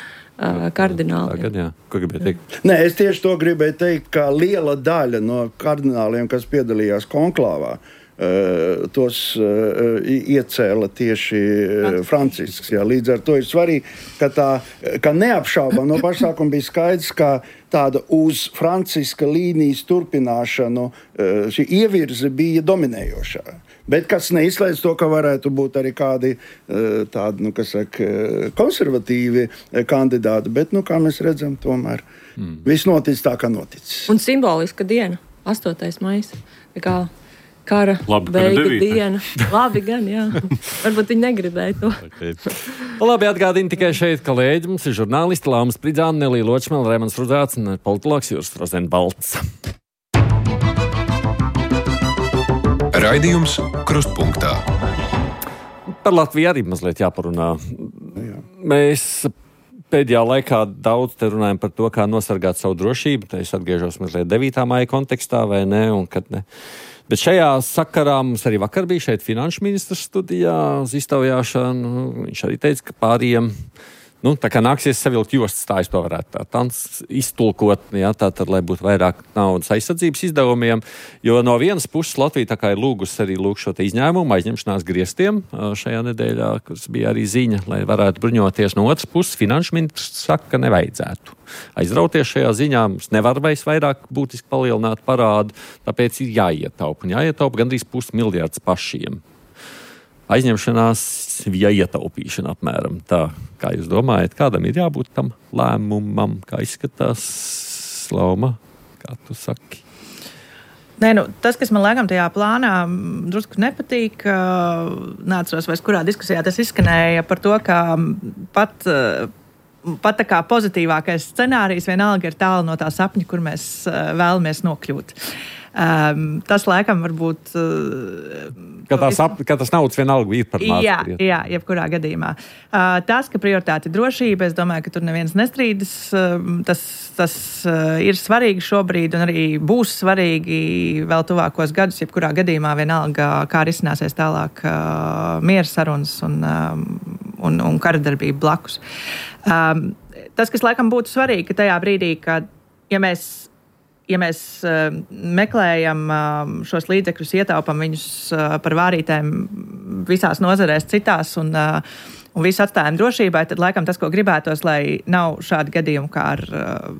kardināliem. Tagad, jā. Ko gribēju teikt? Nē, es tieši to gribēju teikt, ka liela daļa no kardināliem, kas piedalījās konklāvā, uh, tos uh, iecēla tieši uh, Francisks. Jā. Līdz ar to ir svarīgi, ka tā, ka neapšaubām no pašsākuma bija skaidrs, ka tāda uz Franciska līnijas turpināšanu uh, šī ievirze bija dominējošā. Bet kas neizslēdz to, ka varētu būt arī kādi tādi, nu, kas saka, konservatīvi kandidāti, bet, nu, kā mēs redzam, tomēr mm. viss notic tā, kā noticis. Un simboliska diena, astotais maijs, tā kā kara Labi, beiga diena. Labi gan, jā. Varbūt viņi negribēja to. Okay. Labi, atgādini tikai šeit, kolēģi, mums ir žurnālisti Lāma Spridzāne, Nelija Ločmela, Raimons Rudzāts un politologs Juris Rozenbalts. Raidījums Krustpunktā. Par Latviju arī mazliet jāparunā. Jā. Mēs pēdējā laikā daudz te runājam par to, kā nosargāt savu drošību. Te es atgriežos mazliet devītā maija kontekstā, vai ne, un kad ne. Bet šajā sakarā mums arī vakar bija šeit finanšu ministrs studijā uz iztaujāšanu. Viņš arī teica, ka pāriem nu, tā kā nāksies savilkt jostas, tā es to varētu tā tāds iztulkot, jā, tā tad, lai būtu vairāk naudas aizsardzības izdevumiem, jo no vienas puses Latvija tā kā ir lūgusi arī lūg šo te izņēmumu aizņemšanās griestiem šajā nedēļā, kas bija arī ziņa, lai varētu bruņoties. No otras puses finanšu ministrs saka, ka nevajadzētu aizrauties šajā ziņā, mums nevar vairs vairāk būtiski palielināt parādu, tāpēc ir jāietaupa, un jāietaupa gandrīz pusmiljards pašiem. Aizņemšanās, ja ietaupīšana apmēram tā, kā jūs domājat, kādam ir jābūt tam lēmumam, kā izskatās, Lauma, kā tu saki? Nē, nu, tas, kas man laikam tajā plānā drusku nepatīk, neatceros vairs, kurā diskusijā tas izskanēja par to, ka pat, pat tā kā pozitīvākais scenārijs vienalga ir tālu no tā sapņa, kur mēs vēlamies nokļūt. Um, tas laikam varbūt uh, ka, tās ap, ka tas naudas vienalga ir par maz. Jā, jā, jebkurā gadījumā. Uh, tas, ka prioritāte ir drošība, es domāju, ka tur neviens nestrīdas. Uh, tas tas uh, ir svarīgi šobrīd un arī būs svarīgi vēl tuvākos gadus, jebkurā gadījumā vienalga, kā risināsies tālāk uh, miera sarunas un, um, un, un karadarbība blakus. Um, tas, kas laikam būtu svarīgi, ka tajā brīdī, kad ja mēs Ja mēs uh, meklējam uh, šos līdzekļus, ietaupam viņus uh, par vārītēm visās nozarēs citās un, uh, un visu atstājam drošībai, tad laikam tas, ko gribētos, lai nav šādi gadījumi kā ar uh,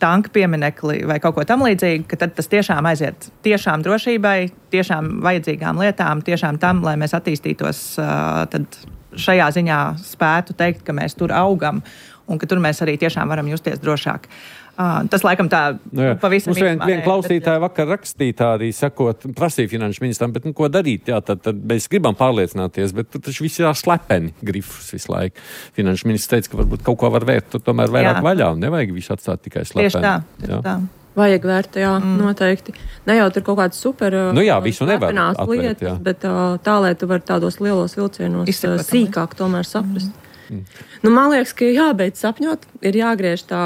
tanka pieminekli vai kaut ko tam līdzīgi, ka tad tas tiešām aiziet tiešām drošībai, tiešām vajadzīgām lietām, tiešām tam, lai mēs attīstītos, uh, tad šajā ziņā spētu teikt, ka mēs tur augam un ka tur mēs arī tiešām varam justies drošāk. Uh, tas laikam tā nu, pavisam mums vien, vien klausītāji bet, vakar rakstītā arī sakot, prasīja finanšu ministram, bet nu, ko darīt? Jā, tad, tad mēs gribam pārliecināties, bet tur taču viss ir slepeni grifus visu laiku. Finanšu ministrs teica, ka varbūt kaut ko var vērt, tur tomēr vairāk jā. Vaļā un nevajag visu atstāt tikai slepeni. Tieši tā, tieši tā. Vajag vērt, jā, mm. noteikti. Ne jau tur kaut kāds super nu jā, visu nevar atvērt, lietas, jā. bet tā, lai tu vari tādos lielos vilcienos Izsakot, sīkāk tomēr saprast. Mm. Nu, man liekas, ka jābeidz sapņot, ir jāgriež tā,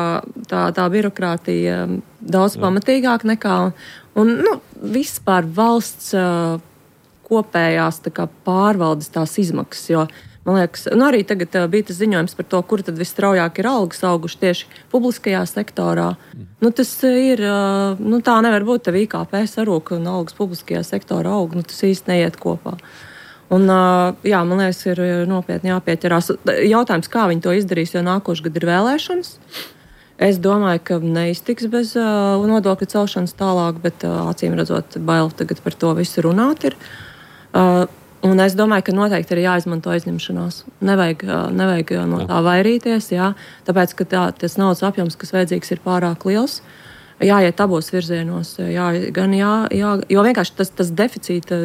tā, tā birokrātija daudz jā. Pamatīgāk nekā, un, nu, vispār valsts uh, kopējās tā kā pārvaldes tās izmaksas, jo, man liekas, nu, arī tagad uh, bija tas ziņojums par to, kur tad visstraujāk ir algas auguši tieši publiskajā sektorā. Mm. Nu, tas ir, uh, nu, tā nevar būt, tev I K P sarūk un algas publiskajā sektorā aug, nu, tas īsti neiet kopā. Un, jā, man liekas, ir nopietni jāpieķerās. Jautājums, kā viņi to izdarīs, jo nākošu gadu ir vēlēšanas. Es domāju, ka neiztiks bez uh, nodokļu celšanas tālāk, bet uh, acīm redzot, bail tagad par to visu runāt ir. Uh, un es domāju, ka noteikti ir jāizmanto aizņemšanās. Nevajag, uh, nevajag no tā vairīties, jā, tāpēc, ka tā, tas naudas apjoms, kas vajadzīgs, ir pārāk liels. Jāiet abos virzienos, jā, gan jā, jā, jo vienkārši tas, tas deficīta,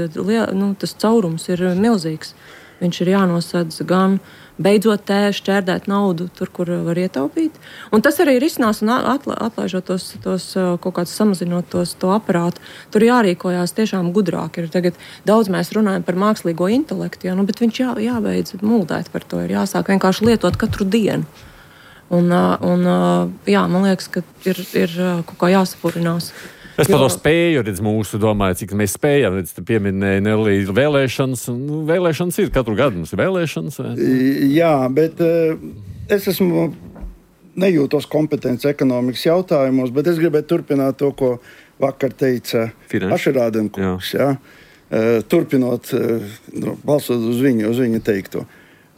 nu, tas caurums ir milzīgs. Viņš ir jānosedz gan beidzot tē šķērdēt naudu tur, kur var ietaupīt. Un tas arī ir izsnās un atla, atlaižot tos, tos kaut kāds samazinot tos, to aparātu. Tur jārīkojās tiešām gudrāk. Ir tagad daudz mēs runājam par mākslīgo intelektu, jā, nu, bet viņš jā, jābeidz muldēt par to. Ir jāsāk vienkārši lietot katru dienu. Un, un, jā, man liekas, ka ir, ir kaut kā jāsapurinās. Es par to spēju, redz, mūsu domāju, cik mēs spējam, redz, te pieminēja Nelī vēlēšanas, un nu, vēlēšanas ir katru gadu, mums ir vēlēšanas. Vai? Jā, bet uh, es esmu nejūtos kompetents ekonomikas jautājumos, bet es gribētu turpināt to, ko vakar teica Ašerādenkungs, jā. Jā, uh, turpinot, uh, balsot uz viņu, uz viņu teikto.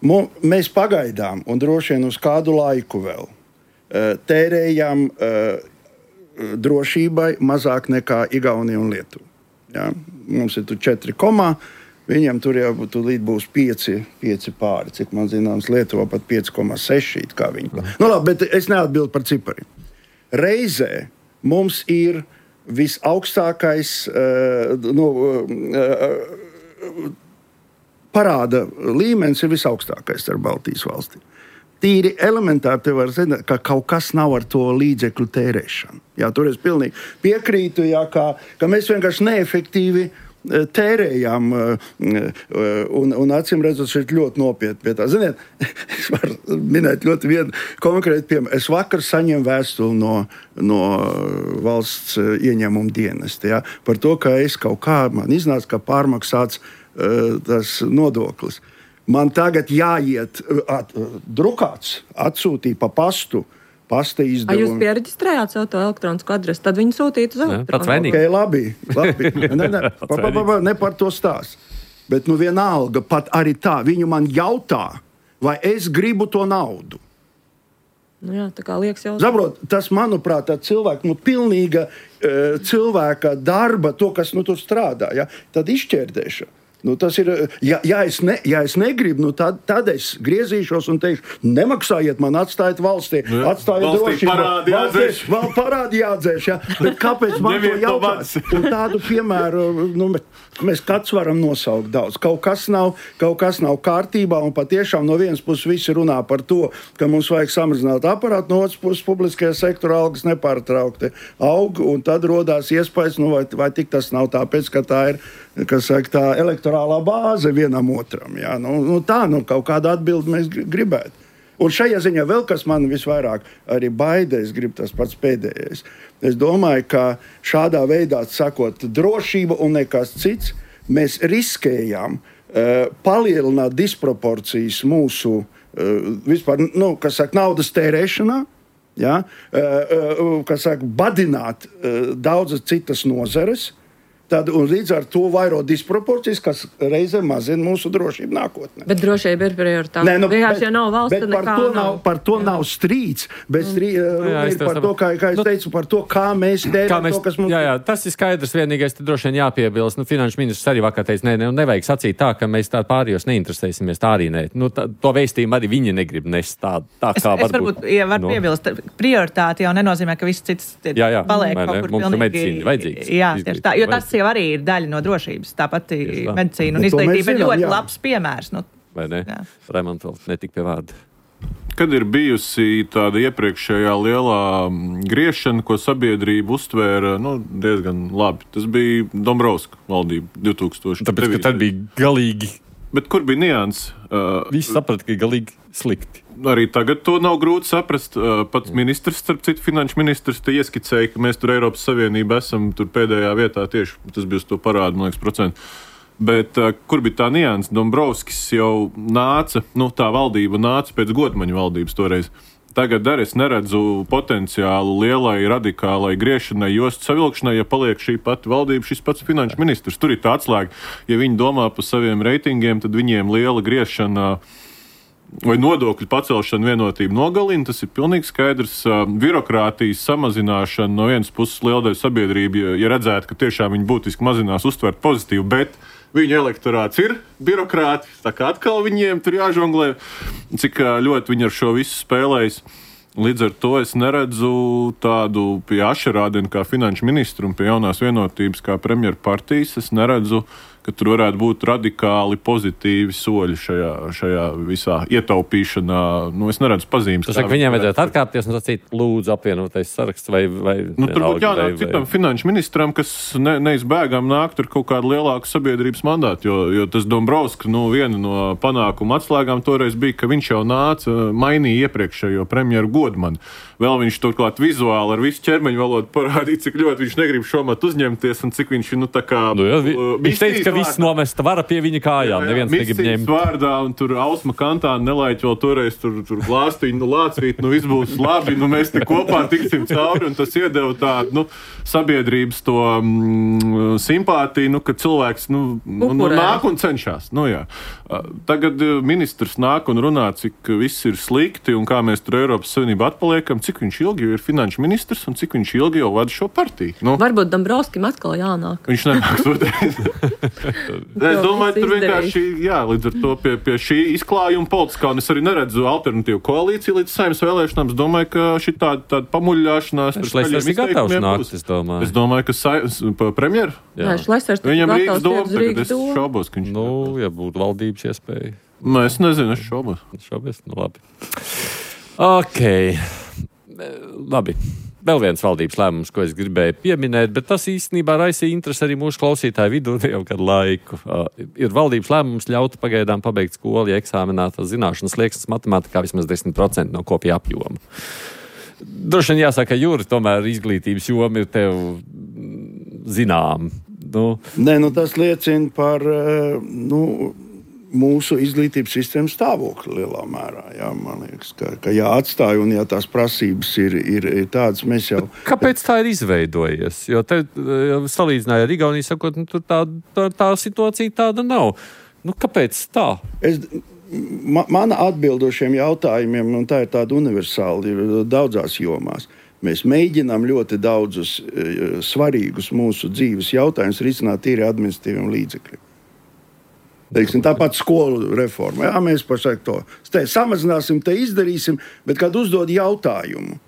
Mēs pagaidām, un droši vien uz kādu laiku vēl, tērējam drošībai mazāk nekā Igaunija un Lietuva. Ja? Mums ir tur četri komā, viņiem tur jau līdz būs pieci, pieci pāri, cik man zināms, Lietuva pat pieci komā seši, kā viņi. Nu labi, bet es neatbildu par cipariem. Reizē mums ir visaugstākais uh, nu, uh, parāda līmenis ir visaugstākais ar Baltijas valstīm. Tīri elementāri te var zināt, ka kaut kas nav ar to līdzekļu tērēšanu. Jā, tur es pilnīgi piekrītu, jā, ka, ka mēs vienkārši neefektīvi tērējām un, un acīm redzot šeit ļoti nopietni pie tā. Ziniet, es varu minēt ļoti vienu konkrētu piemēru. Es vakar saņemu vēstuli no, no valsts ieņēmuma dienesta, jā, par to, ka es kaut kā, man iznāca, ka pārmaksāts tas nodoklis. Man tagad jāiet at, drukāts, atsūtīt pa pastu, pasta izdevumu. Jūs piereģistrējāt savu to elektronisko adresi, tad viņi sūtītu uz elektronisko. Okay, labi, labi. Ne, ne, pa, pa, pa, pa, ne par to stāst. Bet nu vienalga, pat arī tā, viņu man jautā, vai es gribu to naudu. Nu jā, tā kā liekas jau... Saprot, tas, manuprāt, tā cilvēka, nu pilnīga uh, cilvēka darba, to, kas nu tur strādā, ja, tad izšķērdēšana. Nu, tas ir, ja, ja, es ne, ja es negribu, nu, tad, tad es griezīšos un teikšu, nemaksājiet man, atstājiet valstī, atstājiet drošību. Parādi jādzēš. Vēl parādi jādzēš, ja. Bet kāpēc man to jautāt? Un tādu piemēru, nu, mēs kāds varam nosaukt daudz. Kaut kas nav, kaut kas nav kārtībā, un patiešām no vienas puses visi runā par to, ka mums vajag samazināt aparātu, no otras puses publiskajā sektorā algas nepārtraukti aug, un tad rodās iespējas, nu, vai, vai tik tas nav tāpēc, ka tā ir, kas saka, tā elektorālā bāze vienam otram. Jā. Nu, nu, tā, nu, kaut kādu atbildi mēs gribētu. Un šajā ziņā vēl, kas man visvairāk arī baida, es gribu tas pats pēdējais. Es domāju, ka šādā veidā, sakot, drošība un nekas cits, mēs riskējām uh, palielināt disproporcijas mūsu, uh, vispār, nu, kas saka, naudas tērēšanā, jā, uh, uh, kas saka, badināt uh, daudzas citas nozares, tad, un līdz ar to vairo disproporcijas, kas reizē mazina mūsu drošību nākotnē. Bet drošība ir prioritāte. Nē, nu, vienkārši, ja nav valsts, tad nekā nav. nav. Par to jā. Nav strīds, bet strī, jā, jā, ir par to, kā, kā es teicu, par to, kā mēs tērējam to, kas mums... Jā, jā, tas ir skaidrs, vienīgais, tad droši vien jāpiebilst. Nu, finanšu ministrs arī vakar teica, nē, ne, nevajag sacīt tā, ka mēs tā pārējos neinteresēsimies, tā arī nē. Nu, tā, to vēstījumu arī viņi negrib nest tā, tā es, kā es varbūt. varbūt, ja var no. piebilst, prioritāte jau nenozīmē, ka viss cits jā, jā, paliek ne, kaut kur mums pilnīgi... medicīna vajadzīgs. Jā, tieši tā, jo tas jau arī ir daļa no drošības, tāpat medicīna un izglītība ir ļoti jā. labs piemērs. Nu, vai ne? Raimonds vēl netika pie vārda. Kad ir bijusi tāda iepriekšējā lielā griešana, ko sabiedrība uztvēra nu, diezgan labi? Tas bija Dombrovska valdība divtūkstoši devītajā. Tāpēc, ka tad bija galīgi. Bet kur bija nianses? Uh, Visi saprata, ka ir galīgi slikti. Arī tagad to nav grūti saprast. Uh, pats ministrs, starp citu, finanšu ministrs, te ieskicēja, ka mēs tur Eiropas Savienība esam tur pēdējā vietā tieši. Tas bija uz to parādu, man liekas, procentu. Bet uh, kur bija tā nianses? Dombrovskis jau nāca, nu tā valdība nāca pēc Godmaņa valdības toreiz. Tagad arī es neredzu potenciālu lielai, radikālai griešanai, jostu savilkšanai, ja paliek šī pati valdība, šis pats finanšu ministrs. Tur ir tā atslēga. Ja viņi domā par saviem reitingiem, tad viņiem liela griešana vai nodokļu pacelšana vienotību nogalina. Tas ir pilnīgi skaidrs. Birokrātijas samazināšana no vienas puses lielai sabiedrība, ja redzētu, ka tiešām viņi būtiski mazinās, uztvert pozitīvu, bet viņu elektorāts ir birokrāti, tā kā atkal viņiem tur jāžonglē, cik ļoti viņi ar šo visu spēlējas. Līdz ar to es neredzu tādu pie Ašerādena kā finanšu ministru un pie jaunās vienotības kā premjeru partijas. Es neredzu, ka tur varētu būt radikāli pozitīvi soļi šajā, šajā visā ietaupīšanā. Nu, es neredzu pazīmes. Tas saka, viņiem vajadzētu atkāpties un sacīt, lūdzu apvienotais saraksts vai... vai nu, tur būtu jānāk citam finanšu ministram, kas ne, neizbēgam nākt ar kaut kādu lielāku sabiedrības mandātu, jo, jo tas Dombrovska, nu, viena no panākuma atslēgām toreiz bija, ka viņš jau nāca, mainīja iepriekšējo premjeru Godmanu. Vēl viņš turklāt vizuāli ar visu ķermeņu valodu parādīja, cik ļoti viņš negrib šomat uzņemties un cik viņš, nu, tā kā... Nu, jā, vi, viņš teica, ka viss nomesta vara pie viņa kājām, neviens negrib ņemt. Vārdā, un tur Ausma Kantāna nelaiķi vēl toreiz tur, tur glāstīņu, nu, lācvīt, nu, viss būs labi, nu, mēs te kopā tiksim cauri, un tas iedeva tādu, nu, sabiedrības to mm, simpātiju, nu, ka cilvēks, nu, nu, nāk un cenšas, nu, jā. Tagad ministrs nāk un runā, cik viss ir slikti un kā mēs tur Eiropas Savienībā atpaliekam, cik viņš ilgi ir finanšu ministrs un cik viņš ilgi jau vada šo partiju. Nu, varbūt Dombrovskim atkal jānāk. Viņš nenāks otrais. Es domāju, tur vienkārši, jā, līdz ar to pie, pie šī izklājuma politiskā, un es arī neredzu alternatīvu koalīciju līdz Saeimas vēlēšanām. Es domāju, ka šī tāda, tāda pamuļļāšanās... Šlesers ir gatavs nākt, es domāju. Es domāju, ka Saeimas premjeru? Jā, Šlesers ir viņam gatavs doma, uz Rīgas es šaubos, ka viņš... Nu, ja būtu valdības iespēja. Nu, es nezinu, es šaubos. Šaubos, nu labi. Ok. Labi. Vēl viens valdības lēmums, ko es gribēju pieminēt, bet tas īstenībā raisīja interesi arī mūsu klausītāju vidū jau kādu laiku. Uh, ir valdības lēmums ļaut pagaidām pabeigt skolu, ja eksāmenā tas zināšanas slieksnis matemātikā vismaz desmit procenti no kopija apjoma. Droši vien jāsaka, Jūri, tomēr izglītības joma ir tev zinām. Nu. Nē, nu tas liecina par, nu, mūsu izglītības sistēmas stāvokli lielā mērā. Jā, man liekas, ka, ka jāatstāj un ja tās prasības ir, ir, ir tādas, mēs jau... Kāpēc tā ir izveidojies? Jo te salīdzināja ar Igauniju, sakot, nu, tā, tā, tā situācija tāda nav. Nu, kāpēc tā? Es, ma, mana atbildošiem jautājumiem, un tā ir tāda universāla, ir daudzās jomās. Mēs mēģinām ļoti daudzus e, svarīgus mūsu dzīves jautājumus risināt tīri administratīviem līdzekļiem. Teiksim, tāpat skolu reforma. Jā, mēs pašlaik to te samazināsim, te izdarīsim, bet kad uzdod jautājumu,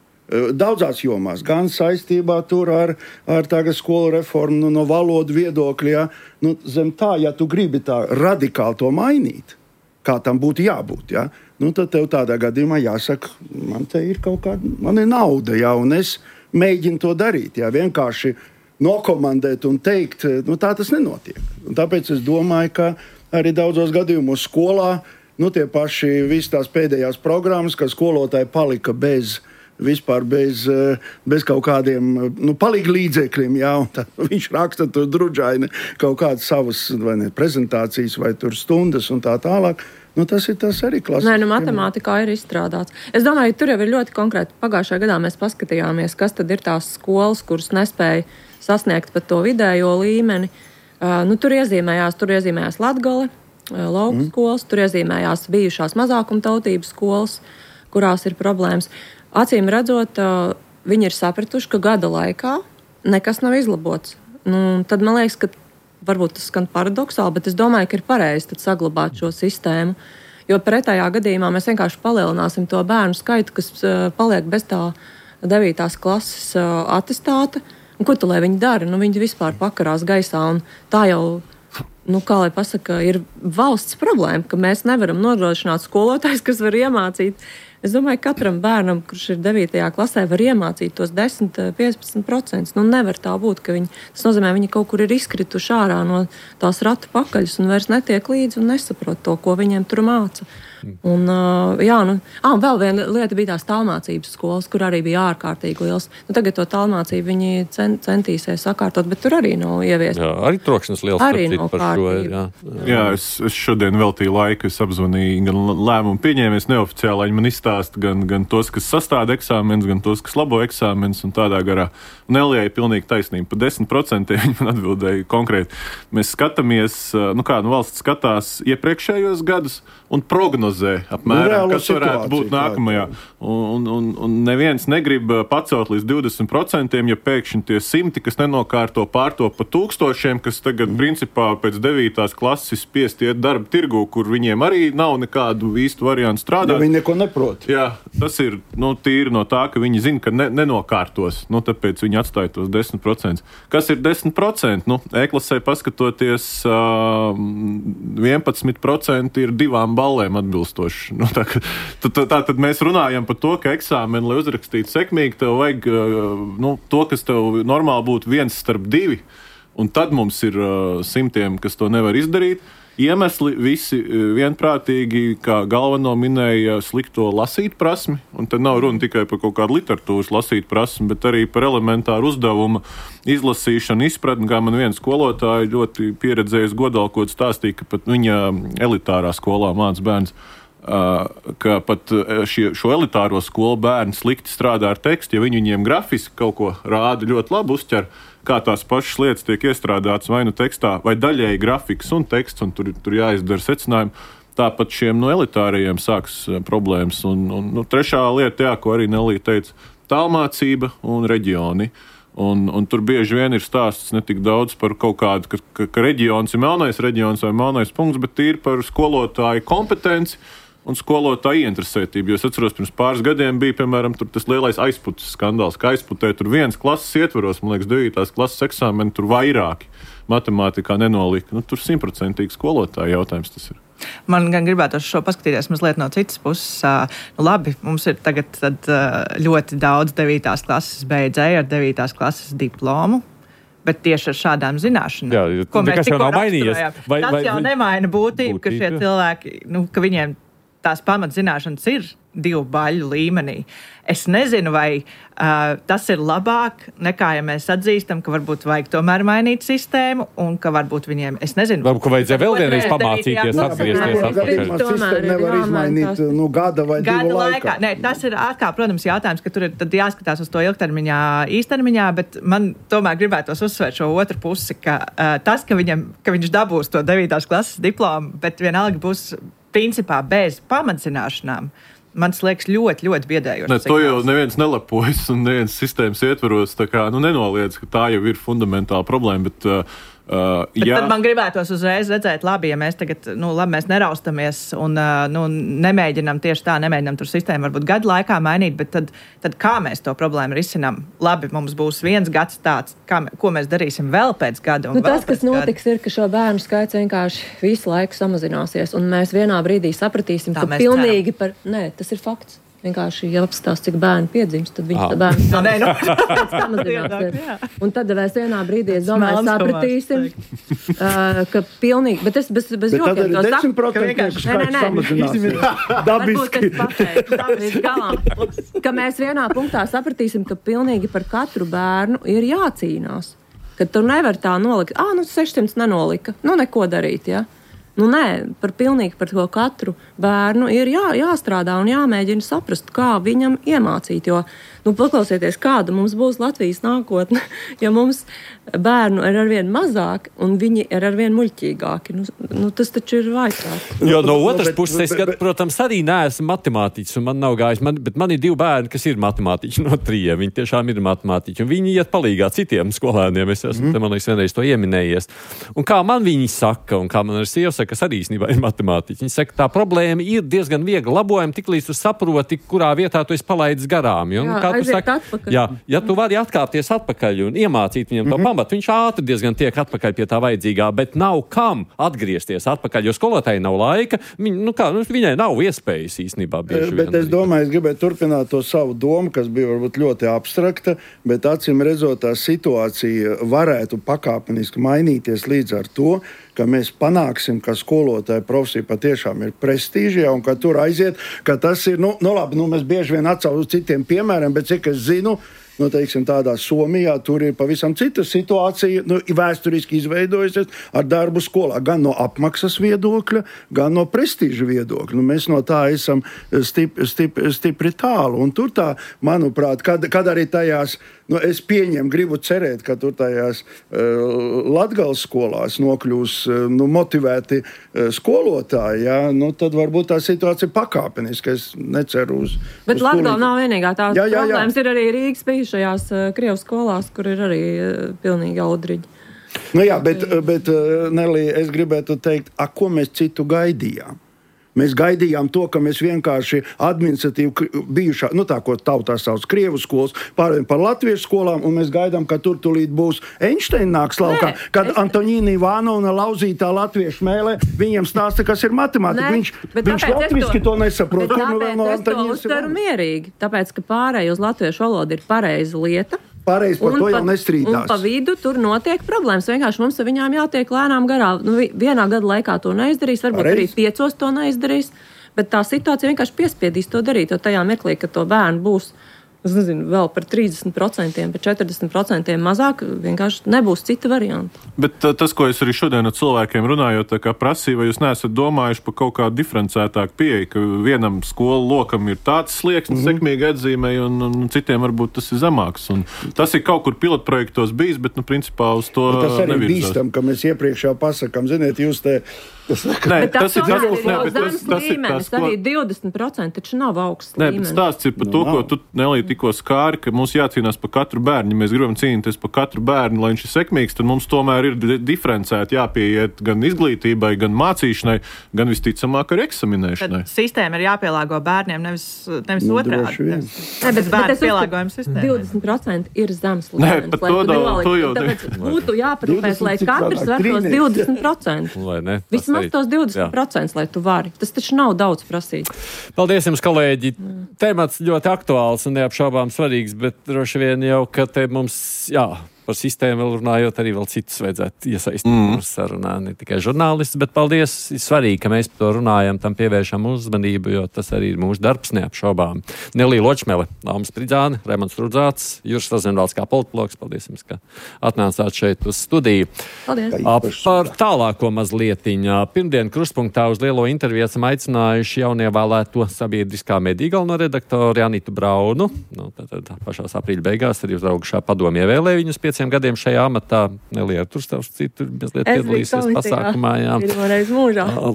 daudzās jomās, gan saistībā tur ar, ar tagad skolu reformu, nu, no valodu viedokļa, jā, nu, zem tā, ja tu gribi tā radikāli to mainīt, kā tam būtu jābūt, jā, nu, tad tev tādā gadījumā jāsaka, man te ir kaut kāda, man ir nauda, jā, un es mēģinu to darīt, jā, vienkārši nokomandēt un teikt, nu, tā tas nenotiek. Un tāpēc es domāju, ka arī daudzos gadījumos skolā, nu, tie paši visas tās pēdējās programmas, ka skolotāji palika bez, vispār bez, bez kaut kādiem, nu, palika līdzekļiem, jā, un tad viņš raksta tur drudžaini kaut kādas savas, vai ne, prezentācijas, vai tur stundas un tā tālāk. Nu, tas ir tas arī klasisks. Nē, nu, matemātikā ir izstrādāts. Es domāju, tur jau ir ļoti konkrēti. Pagājušajā gadā mēs paskatījāmies, kas tad ir tās skolas, kuras nespēja sasniegt pat to vidējo līmeni. Uh, nu, tur iezīmējās, tur iezīmējās Latgale, uh, lauku mm. skolas, tur iezīmējās bijušās mazākumtautības skolas, kurās ir problēmas. Acīm redzot, uh, viņi ir sapratuši, ka gada laikā nekas nav izlabots. Nu, tad man liekas, ka varbūt tas skan paradoksāli, bet es domāju, ka ir pareizi tad saglabāt šo sistēmu, jo pretējā gadījumā mēs vienkārši palielināsim to bērnu skaitu, kas uh, paliek bez tā devītās klases uh, atestāta. Un ko tu, lai viņi dara? Nu, viņi vispār pakarās gaisā, un tā jau nu, kā lai pasaka, ir valsts problēma, ka mēs nevaram nodrošināt skolotājs, kas var iemācīt. Es domāju, ka katram bērnam, kurš ir devītajā klasē, var iemācīt tos desmit līdz piecpadsmit procentus. Nu, nevar tā būt, ka viņi, tas nozīmē, viņi kaut kur ir izkrituši ārā no tās ratu pakaļas un vairs netiek līdzi un nesaprot to, ko viņiem tur māca. Un, uh, jā, nu, ah, un vēl viena lieta bija tās tālmācības skolas, kur arī bija ārkārtīgi liels. Nu, tagad to tālmācību viņi cent, centīsies sakārtot, bet tur arī nav ieviest. Jā, arī trokšņas liels arī nav par šo. Jā, jā. jā es, es šodien veltīju laiku, es apzvanīju gan lēmumu pieņēmies neoficiāli, viņi man izstāsta gan, gan tos, kas sastāda eksāmenes, gan tos, kas labo eksāmenes un tādā garā. Nelijai pilnīgi taisnība. Pa desmit procentiem viņi man atbildēja konkrēti. Mēs skatāmies, nu kā, nu valsts skatās iepriekšējos gadus un prognozē apmēram, kas varētu būt nākamajā. Un, un, un neviens negrib pacelt līdz divdesmit procentiem, ja pēkšņi tie simti, kas nenokārto pārto pa tūkstošiem, kas tagad mm. principā pēc devītās klases spiest iet darba tirgu, kur viņiem arī nav nekādu īstu variantu strādāt. Ja viņi neko neprot. Jā, tas ir nu, tīri no tā, ka viņi zina, ka ne, nenokārtos. Nu, tāpēc viņi atstāja tos desmit procentus. Kas ir desmit procenti? Nu, E-klasē paskatoties, uh, vienpadsmit procenti ir divām ballēm atbilstoši. Nu, tā, tā, tā tad mēs runājam par to, ka eksāmeni, lai uzrakstītu sekmīgi, tev vajag uh, nu, to, kas tev normāli būtu viens starp divi, un tad mums ir uh, simtiem, kas to nevar izdarīt. Iemesli visi vienprātīgi, kā galveno minēja, slikto lasīt prasmi, un tad nav runa tikai par kaut kādu literatūras lasīt prasmi, bet arī par elementāru uzdevumu izlasīšanu, izpratni, kā man viena skolotāja ļoti pieredzējis godalkot stāstīja, ka pat viņa elitārā skolā māca bērns, ka pat šie, šo elitāro skolu bērni slikti strādā ar tekstu, ja viņi viņiem grafiski kaut ko rāda ļoti labi uzķer, kā tās pašas lietas tiek iestrādātas vai nu tekstā, vai daļēji grafikas un teksts, un tur, tur jāizdara secinājumi. Tāpat šiem no elitārajiem sāks problēmas. Un, un nu, trešā lieta, jā, ko arī Nelija teica, tālmācība un reģioni. Un, un tur bieži vien ir stāsts ne tik daudz par kaut kādu, ka, ka, ka reģions ir melnais reģions vai melnais punkts, bet ir par skolotāju kompetenci un skolotāju ieinteresētību. Jo es atceros, pirms pāris gadiem bija, piemēram, tur tas lielais aizputas skandāls, ka aizputē tur viens klases ietvaros, man liekas, devītās klases eksāmeni, tur vairāki matemātikā nenolika. Nu, tur simtprocentīgi skolotāju jautājums tas ir. Man gan gribētu šo paskatīties mazliet no citas puses. Nu, labi, mums ir tagad tad, ļoti daudz devītās klases beidzēju ar devītās klases diplomu. Bet tieši ar šādām zināšanām, jā, ko mēs tikko raksturojām, vai, tas jau vai, nemaina būtību, būtību, ka šie cilvēki, nu, ka viņiem tās pamatzināšanas ir divu baļu līmenī. Es nezinu, vai uh, tas ir labāk nekā, ja mēs atzīstam, ka varbūt vajag tomēr mainīt sistēmu un ka varbūt viņiem, es nezinu. Varbūt, ka vajadzēja vēl vienreiz pamācīties, atgriezties atpakaļ. Sistēma nevar izmainīt nu, gada vai gada divu laikā. laikā. Nē, tas ir atkal, protams, jautājums, ka tur ir tad jāskatās uz to ilgtermiņā, īstermiņā, bet man tomēr gribētos uzsvērt šo otru pusi, ka uh, tas, ka, viņam, ka viņš dabūs to devītās klases diplomu, bet vienalga būs principā bez pamatzināšanām, man liekas ļoti, ļoti biedējoši. Ne, to jau neviens nelepojas un neviens sistēmas ietvaros, tā kā, nu, nenoliedz, ka tā jau ir fundamentāla problēma, bet, uh, uh, bet jā. Tad man gribētos uzreiz redzēt, labi, ja mēs tagad, nu, labi, mēs neraustamies un, uh, nu, nemēģinam tieši tā, nemēģinam tur sistēmu varbūt gadu laikā mainīt, bet tad, tad kā mēs to problēmu risinām? Labi, mums būs viens gads tāds, kā, ko mēs darīsim vēl pēc gada un nu, vēl tas, kas notiks, gada. Ir, ka šo bērnu skaits vienkārši visu laiku samazināsies, un mēs vienā brīdī sapratīsim, tā ka pilnīgi ceram. Par... Nē, tas ir fakts. Vienkārši, ja apstās, cik bērni piedzimst, tad viņš tā bērni no, nē, no. samazināsies. Un tad mēs vienā brīdī, es domāju, sapratīsim, uh, ka pilnīgi, bet es bez, bez jokiem to saku. Ka vienkārši skaits samazināsies. Dabiski. Varbūt es pateiktu, līdz galām, ka mēs vienā punktā sapratīsim, ka pilnīgi par katru bērnu ir jācīnās. Ka tur nevar tā nolikt, ā, nu sešsimt nenolika, nu neko darīt, ja. Nu, nē, par pilnīgi par to katru bērnu ir jā, jāstrādā un jāmēģina saprast, kā viņam iemācīt. Jo, nu, paklausieties, kāda mums būs Latvijas nākotne, ja mums bērnu ir arvien mazāk un viņi ir arvien muļķīgāki. Nu, nu, tas taču ir vajadzāk. Jo no otras puses, es, kad, protams, arī neesmu matemātiķis un man nav gājis, man, bet man ir divi bērni, kas ir matemātiķi no trījiem. Viņi tiešām ir matemātiķi un viņi iet palīgā citiem skolēniem. Es esmu, mm. man liekas, vienreiz to ieminējies. Un kā man viņi saka, un kā man ar sievu saka, kas arī īstenībā ir matemātiķi. Viņi saka, tā problēma ir diezgan viegli labojama, tik līdz tu saproti, kurā vietā tu esi palaidis garām. Jo, jā, kā aiziet atpakaļ. Jā, ja tu vari atkāpties atpakaļ un iemācīt viņam to mm-hmm. pamatu, viņš ātri diezgan tiek atpakaļ pie tā vajadzīgā, bet nav kam atgriezties atpakaļ, jo skolotāji nav laika, viņ, nu kā, nu, viņai nav iespējas īstenībā bieži vien. Bet es domāju, es gribēju turpināt to savu domu, kas bija varbūt ļoti abstrakta, bet acīm redzot, tā situācija varētu pakāpeniski mainīties līdz ar to, ka mēs panāksim, ka skolotāja profesija patiešām ir prestīžija un ka tur aiziet, ka tas ir, nu, nu labi, nu mēs bieži vien atsaucam uz citiem piemēriem, bet cik es zinu, nu, teiksim, tādā Somijā tur ir pavisam cita situācija, nu, vēsturiski izveidojusies ar darbu skolā, gan no apmaksas viedokļa, gan no prestīža viedokļa. Nu, mēs no tā esam stip, stip, stipri tālu, un tur tā, manuprāt, kad, kad arī tajās, nu, es pieņemu, gribu cerēt, ka tur tajās uh, Latgales skolās nokļūs uh, nu, motivēti uh, skolotāji, ja? Nu, tad varbūt tā situācija pakāpeniski, es neceru uz... Bet uz Latgale tūlīt... nav vienīgā tā jā, jā, jā. problēmas, ir arī Rīgas bijušajās uh, Krievu skolās, kur ir arī uh, pilnīgi audriģi. Nu jā, bet, bet uh, Nelī, es gribētu teikt, a, ko mēs citu gaidījām? Mēs gaidījām to, ka mēs vienkārši administratīvi bijušā, nu tā, ko tautā sauc Krievu skolas, pārējām par latviešu skolām, un mēs gaidām, ka tur tulīt būs Einsteina nāks laukā, Nē, kad es... Antoņīna Ivānovna lauzītā latviešu mēlē, viņam stāsta, kas ir matemātika. Viņš, viņš latviski to, to nesaprot. Bet tāpēc no es to uztveru mierīgi, tāpēc, ka pārēj uz latviešu valodu ir pareiza lieta. Pareizi par un to jau nestrīdās. Un pa vidu tur notiek problēmas. Vienkārši mums ar viņām jātiek lēnām garā. Nu, vienā gada laikā to neizdarīs, varbūt Pareiz. Arī piecos to neizdarīs, bet tā situācija vienkārši piespiedīs to darīt, jo tajā mirklī, ka to bērnu būs, es nezinu, vēl par trīsdesmit procentiem, par četrdesmit procentiem mazāk, vienkārši nebūs cita varianta. Bet tas, ko es arī šodien ar cilvēkiem runājot, tā kā prasīju, vai jūs neesat domājuši par kaut kādu diferencētāku pieeju, ka vienam skolu lokam ir tāds slieksnis, mm-hmm. sekmīgi atzīmēja, un, un citiem varbūt tas ir zemāks. Un tas ir kaut kur pilotprojektos bijis, bet, nu, principā uz to nevirzās. Tas arī nevirzās. Bīstam, ka mēs iepriekš jau pasakām, ziniet, jūs te... Nē, bet tas, tas ir tas tas, ir ne, jau zems līmenis, arī divdesmit procenti taču nav augsts Nē, līmenis. Nē, stāsts ir par to, ko tu, Nelī, tikko skāri, ka mums jācīnās par katru bērnu. Ja mēs gribam cīnīties par katru bērnu, lai viņš ir sekmīgs, tad mums tomēr ir diferencēti jāpieiet gan izglītībai, gan mācīšanai, gan visticamāk ar eksaminēšanai. Tad sistēma ir jāpielāgo bērniem, nevis, nevis nu, otrādi. Nē, bet, bet es pielāgojam sistēmu. divdesmit procenti ir zems līmenis. Nē, pat to, da, to jau... Tāpēc būtu jāparūpēs, lai katrs var tos divdesmit procentus. Vismaz tos divdesmit procentus, lai tu vari. Tas taču nav daudz prasīt. Paldies jums, kolēģi. Mm. Temats ļoti aktuāls un neapšaubām svarīgs, bet droši vien jau, ka te mums, jā, par sistēmu vēl runājot, arī vēl citus vajadzētu iesaistīt mm. mūsu sarunā, ne tikai žurnālistus, bet paldies, ir svarīgi, ka mēs par to runājam, tam pievēršam uzmanību, jo tas arī ir mūsu darbs neapšaubām. Nelī Ločmele, Lāma Spridzāne, Raimonds Rudzāts, Juris Rozenvalds kā politologs, paldies jums, ka atnācāt šeit uz studiju. Paldies. Par tālāko mazlietiņā. Pirmdien Krustpunktā uz lielo interviju esam aicinājuši jaunievēlēto sabiedriskā mediju galveno redaktoru Anitu Braunu. Nu, tad, tad pašās aprīļa beigās arī uzraugušā padomu ievēlēja viņus pieciem gadiem šajā amatā. Nelija tur stāvs citu mazliet piedalīsies pasākumā. Jā.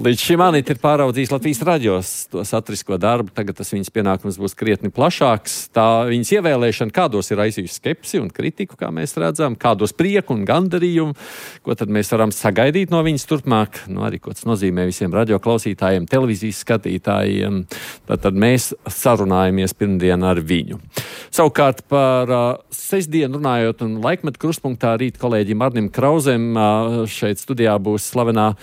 Līdz šim Anita ir pāraudzījis Latvijas raģos to satrisko darbu. Tagad tas viņas pienākums būs krietni plašāks. Tā viņas ievēlēšana kādos ir aizjūst skepsi un kritiku, kā mēs redzam, kādos prieku un gandarījumu. Ko tad mēs varam sagaidīt no viņas turpmāk? Nu, arī, ko tas nozīmē visiem radio klausītājiem, televīzijas skatītājiem. Tātad mēs sarunājamies pirmdien ar viņu. Savukārt par uh, sestdienu runājot un laikmetu Krustpunktā rīt kolēģim Arnim Krauzem uh, šeit studijā būs slavenā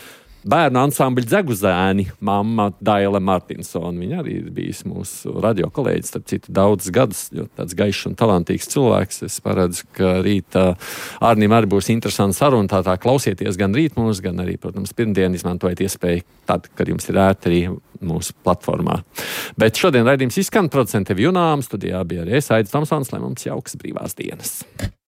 bērnu ansambļa Dzeguzēni mamma Daile Martinsona. Viņa arī ir bijis mūsu radio kolēģis, starp citu daudz gadus, jo tāds gaišs un talantīgs cilvēks. Es paredzu, ka rīt uh, Arnim arī būs interesanta saruna, tā tā klausieties gan rīt mūs, gan arī, protams, pirmdien izmantojiet iespēju tad, kad jums ir ērti arī mūsu platformā. Bet šodien raidījums izskan, producente Vjunām, studijā bija arī es, Aidis Tomsons, lai mums jauks brīvās dienas.